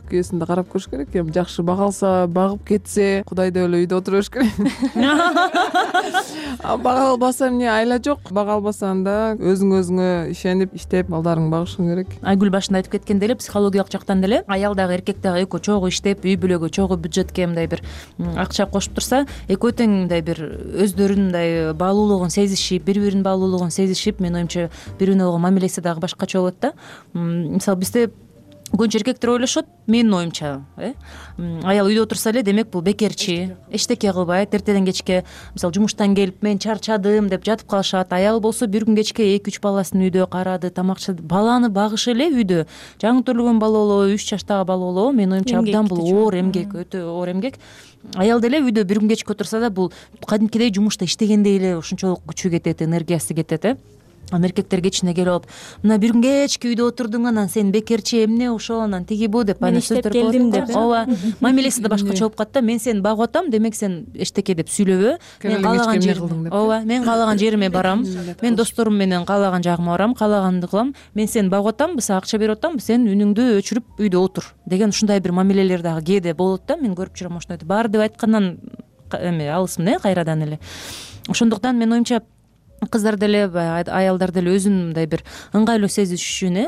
күйөөсүн да карап көрүш керек. Эми жакшы бага алса, багып кетсе, кудай деп эле үйдө отура бериш керек. Бага албаса эмне айла жок. Бага албасаң да өзүң өзүңө ишенип, иштеп, балдарыңды багышың керек. Айгүл башында айтып кеткендей эле психологиялык жактан деле аял дагы эркек дагы экөө чогуу иштеп, үй бүлөгө чогуу бюджетке мындай бир акча кошуп турса, экөө тең мындай бир өздөрүнүн мындай баалуулугун сезишип, бири биринин баалуулугун сезишип, менин оюмча бири бирине болгон мамилеси дагы башкача болот да. Мисалы бизде көбүнчө эркектер ойлошот, менин оюмча, э аял үйдө отурса эле демек бул бекерчи, эчтеке кылбайт, эртеден кечке мисалы жумуштан келип мен чарчадым деп жатып калышат. Аял болсо бир күн кечке эки үч баласын үйдө карады, тамакчы, баланы багыш эле үйдө. Жаңы төрөлгөн бала болобу, үч жаштагы бала болобу, менин оюмча абдан бул оор эмгек, өтө оор эмгек. Аял деле үйдө бир күн кечке отурса да бул кадимкидей жумушта иштегендей эле ушунчолук күчү кетет, энергиясы кетет э. Аны эркектер кечине келип алып, мына бир күн кечке үйдө отурдуң, анан сен бекерчи, эмне ошол, анан тиги бу деп аны сөздөр келдим деп. Ооба, мамилеси да башкача болуп калат да. Мен сени багып атам, демек сен эчтеке деп сүйлөбө. Мен каалаган жериме, ооба, мен каалаган жериме барам. Мен досторум менен каалаган жагыма барам, каалаганды кылам. Мен сени багып атам, сага акча берип атам, сен үнүңдү өчүрүп үйдө отур деген ушундай бир мамилелер дагы кээде болот да. Мен көрүп жүрөм ошондойду. Баары деп айткандан эме алысмын э, кайрадан эле. Ошондуктан менин оюмча кыздар деле, аялдар деле өзүн мындай бир ыңгайлуу сезиш үчүн э,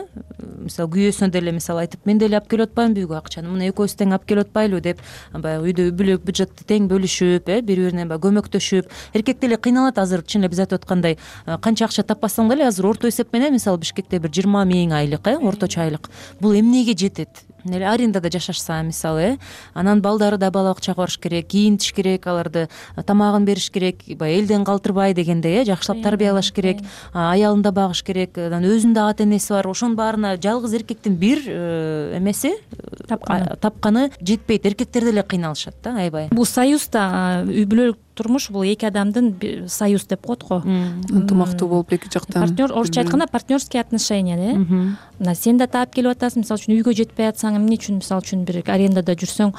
мисалы күйөөсүнө деле мисалы айтып, мен деле алып келип атпаймынбы үйгө акчаны, мына экөөбүз тең алып келип атпайлыбы деп, баягы үйдө үй бүлө бюджетти тең бөлүшүп, э, бири бирине баягы көмөктөшүп. Эркек деле кыйналат азыр, чын эле биз айтып аткандай, канча акча таппасаң деле азыр орто эсеп менен мисалы Бишкекте бир жыйырма миң айлык, э, орточо айлык. Бул эмнеге жетет? Эле арендада жашашса мисалы, э, анан балдары да бала бакчага барыш керек, кийинтиш керек, аларды тамагын бериш керек, баягы элден калтырбай дегендей, э, жакшылап тарбиялаш керек, аялын да багыш керек, анан өзүнүн да ата энеси бар. Ошонун баарына жалгыз эркектин бир эмеси тапканы жетпейт. Эркектер деле кыйналышат да, аябай. Бул союзда үй бүлөлүк турмуш бул эки адамдын союз деп коет го. Ынтымактуу болуп эки жактан. Партнер, орусча айтканда партнерские отношения, э. Мына сен да таап келип атасың, мисалы үчүн үйгө жетпей атсаң, эмне үчүн мисалы үчүн бир арендада жүрсөң,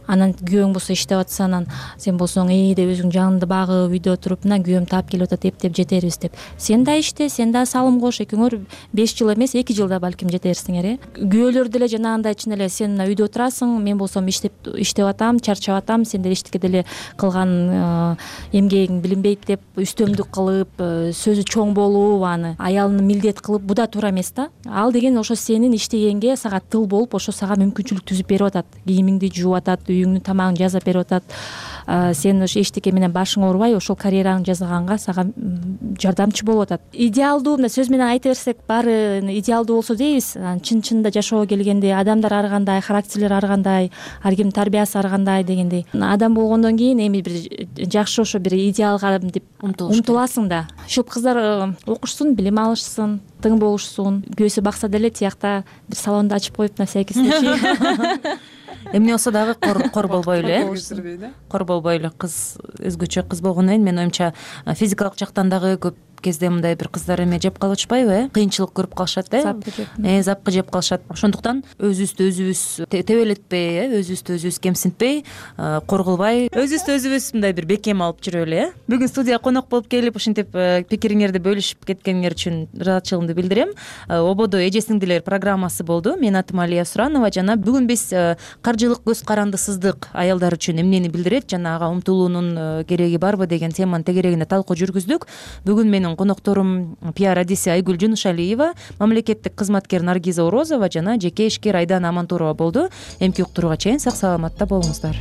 анан күйөөң болсо иштеп атса, анан сен болсоң эй деп өзүң жаныңды багып үйдө отуруп, мына күйөөм таап келип атат, эптеп жетербиз деп. Сен да иште, сен да салым кош, экөөңөр беш жыл эмес, эки жылда балким жетерсиңер, э. Күйөөлөр деле жанагындай чын эле сен мына үйдө отурасың, мен болсом иштеп иштеп атам, чарчап атам, сен деле эчтеке деле кылган эмгегиң билинбейт деп үстөмдүк кылып, сөзү чоң болуп, аны аялына милдет кылып, бу да туура эмес да. Ал деген ошо сенин иштегенге сага тыл болуп, ошо сага мүмкүнчүлүк түзүп берип атат. Кийимиңди жууп атат, үйүңдүн тамагын жасап берип атат. Сен ошо эчтеке менен башың оорубай, ошол карьераңды жасаганга сага жардамчы болуп атат. Идеалдуу, мына сөз менен айта берсек, баары идеалдуу болсо дейбиз. Чын-чынында жашоого келгенде адамдар ар кандай, характерлер ар кандай, ар кимдин тарбиясы ар кандай дегендей. Адам болгондон кийин эми бир жакшы ошо бир идеалга деп умтуласың да. Ушул кыздар окушсун, билим алышсын, тың болушсун. Күйөөсү бакса деле тиякта бир салонду ачып коюп, на всякий случай. Эмне болсо дагы кор болбой эле, кор болбой эле кыз өзгөчө кыз болгондон кийин менин оюмча физикалык жактан дагы көп кезде мындай бир кыздар эме жеп калып атышпайбы, э кыйынчылык көрүп калышат, э запкы жеп э запкы жеп калышат. Ошондуктан өзүбүздү өзүбүз тебелетпей, э өзүбүздү өзүбүз кемсинтпей, кор кылбай, өзүбүздү өзүбүз мындай бир бекем алып жүрөлү, э бүгүн студияга конок болуп келип ушинтип пикириңерди бөлүшүп кеткениңер үчүн ыраазычылыгымды билдирем. Ободо эже сиңдилер программасы болду. Менин атым Алия Суранова жана бүгүн биз каржылык көз карандысыздык аялдар үчүн эмнени билдирет жана ага умтулуунун кереги барбы деген теманын тегерегинде талкуу жүргүздүк. Бүгүн менин конокторум пиар адиси Айгүл Жунушалиева, мамлекеттик кызматкер Наргиза Орозова жана жеке ишкер Айдана Амантурова болду. Эмки уктурууга чейин сак саламатта болуңуздар.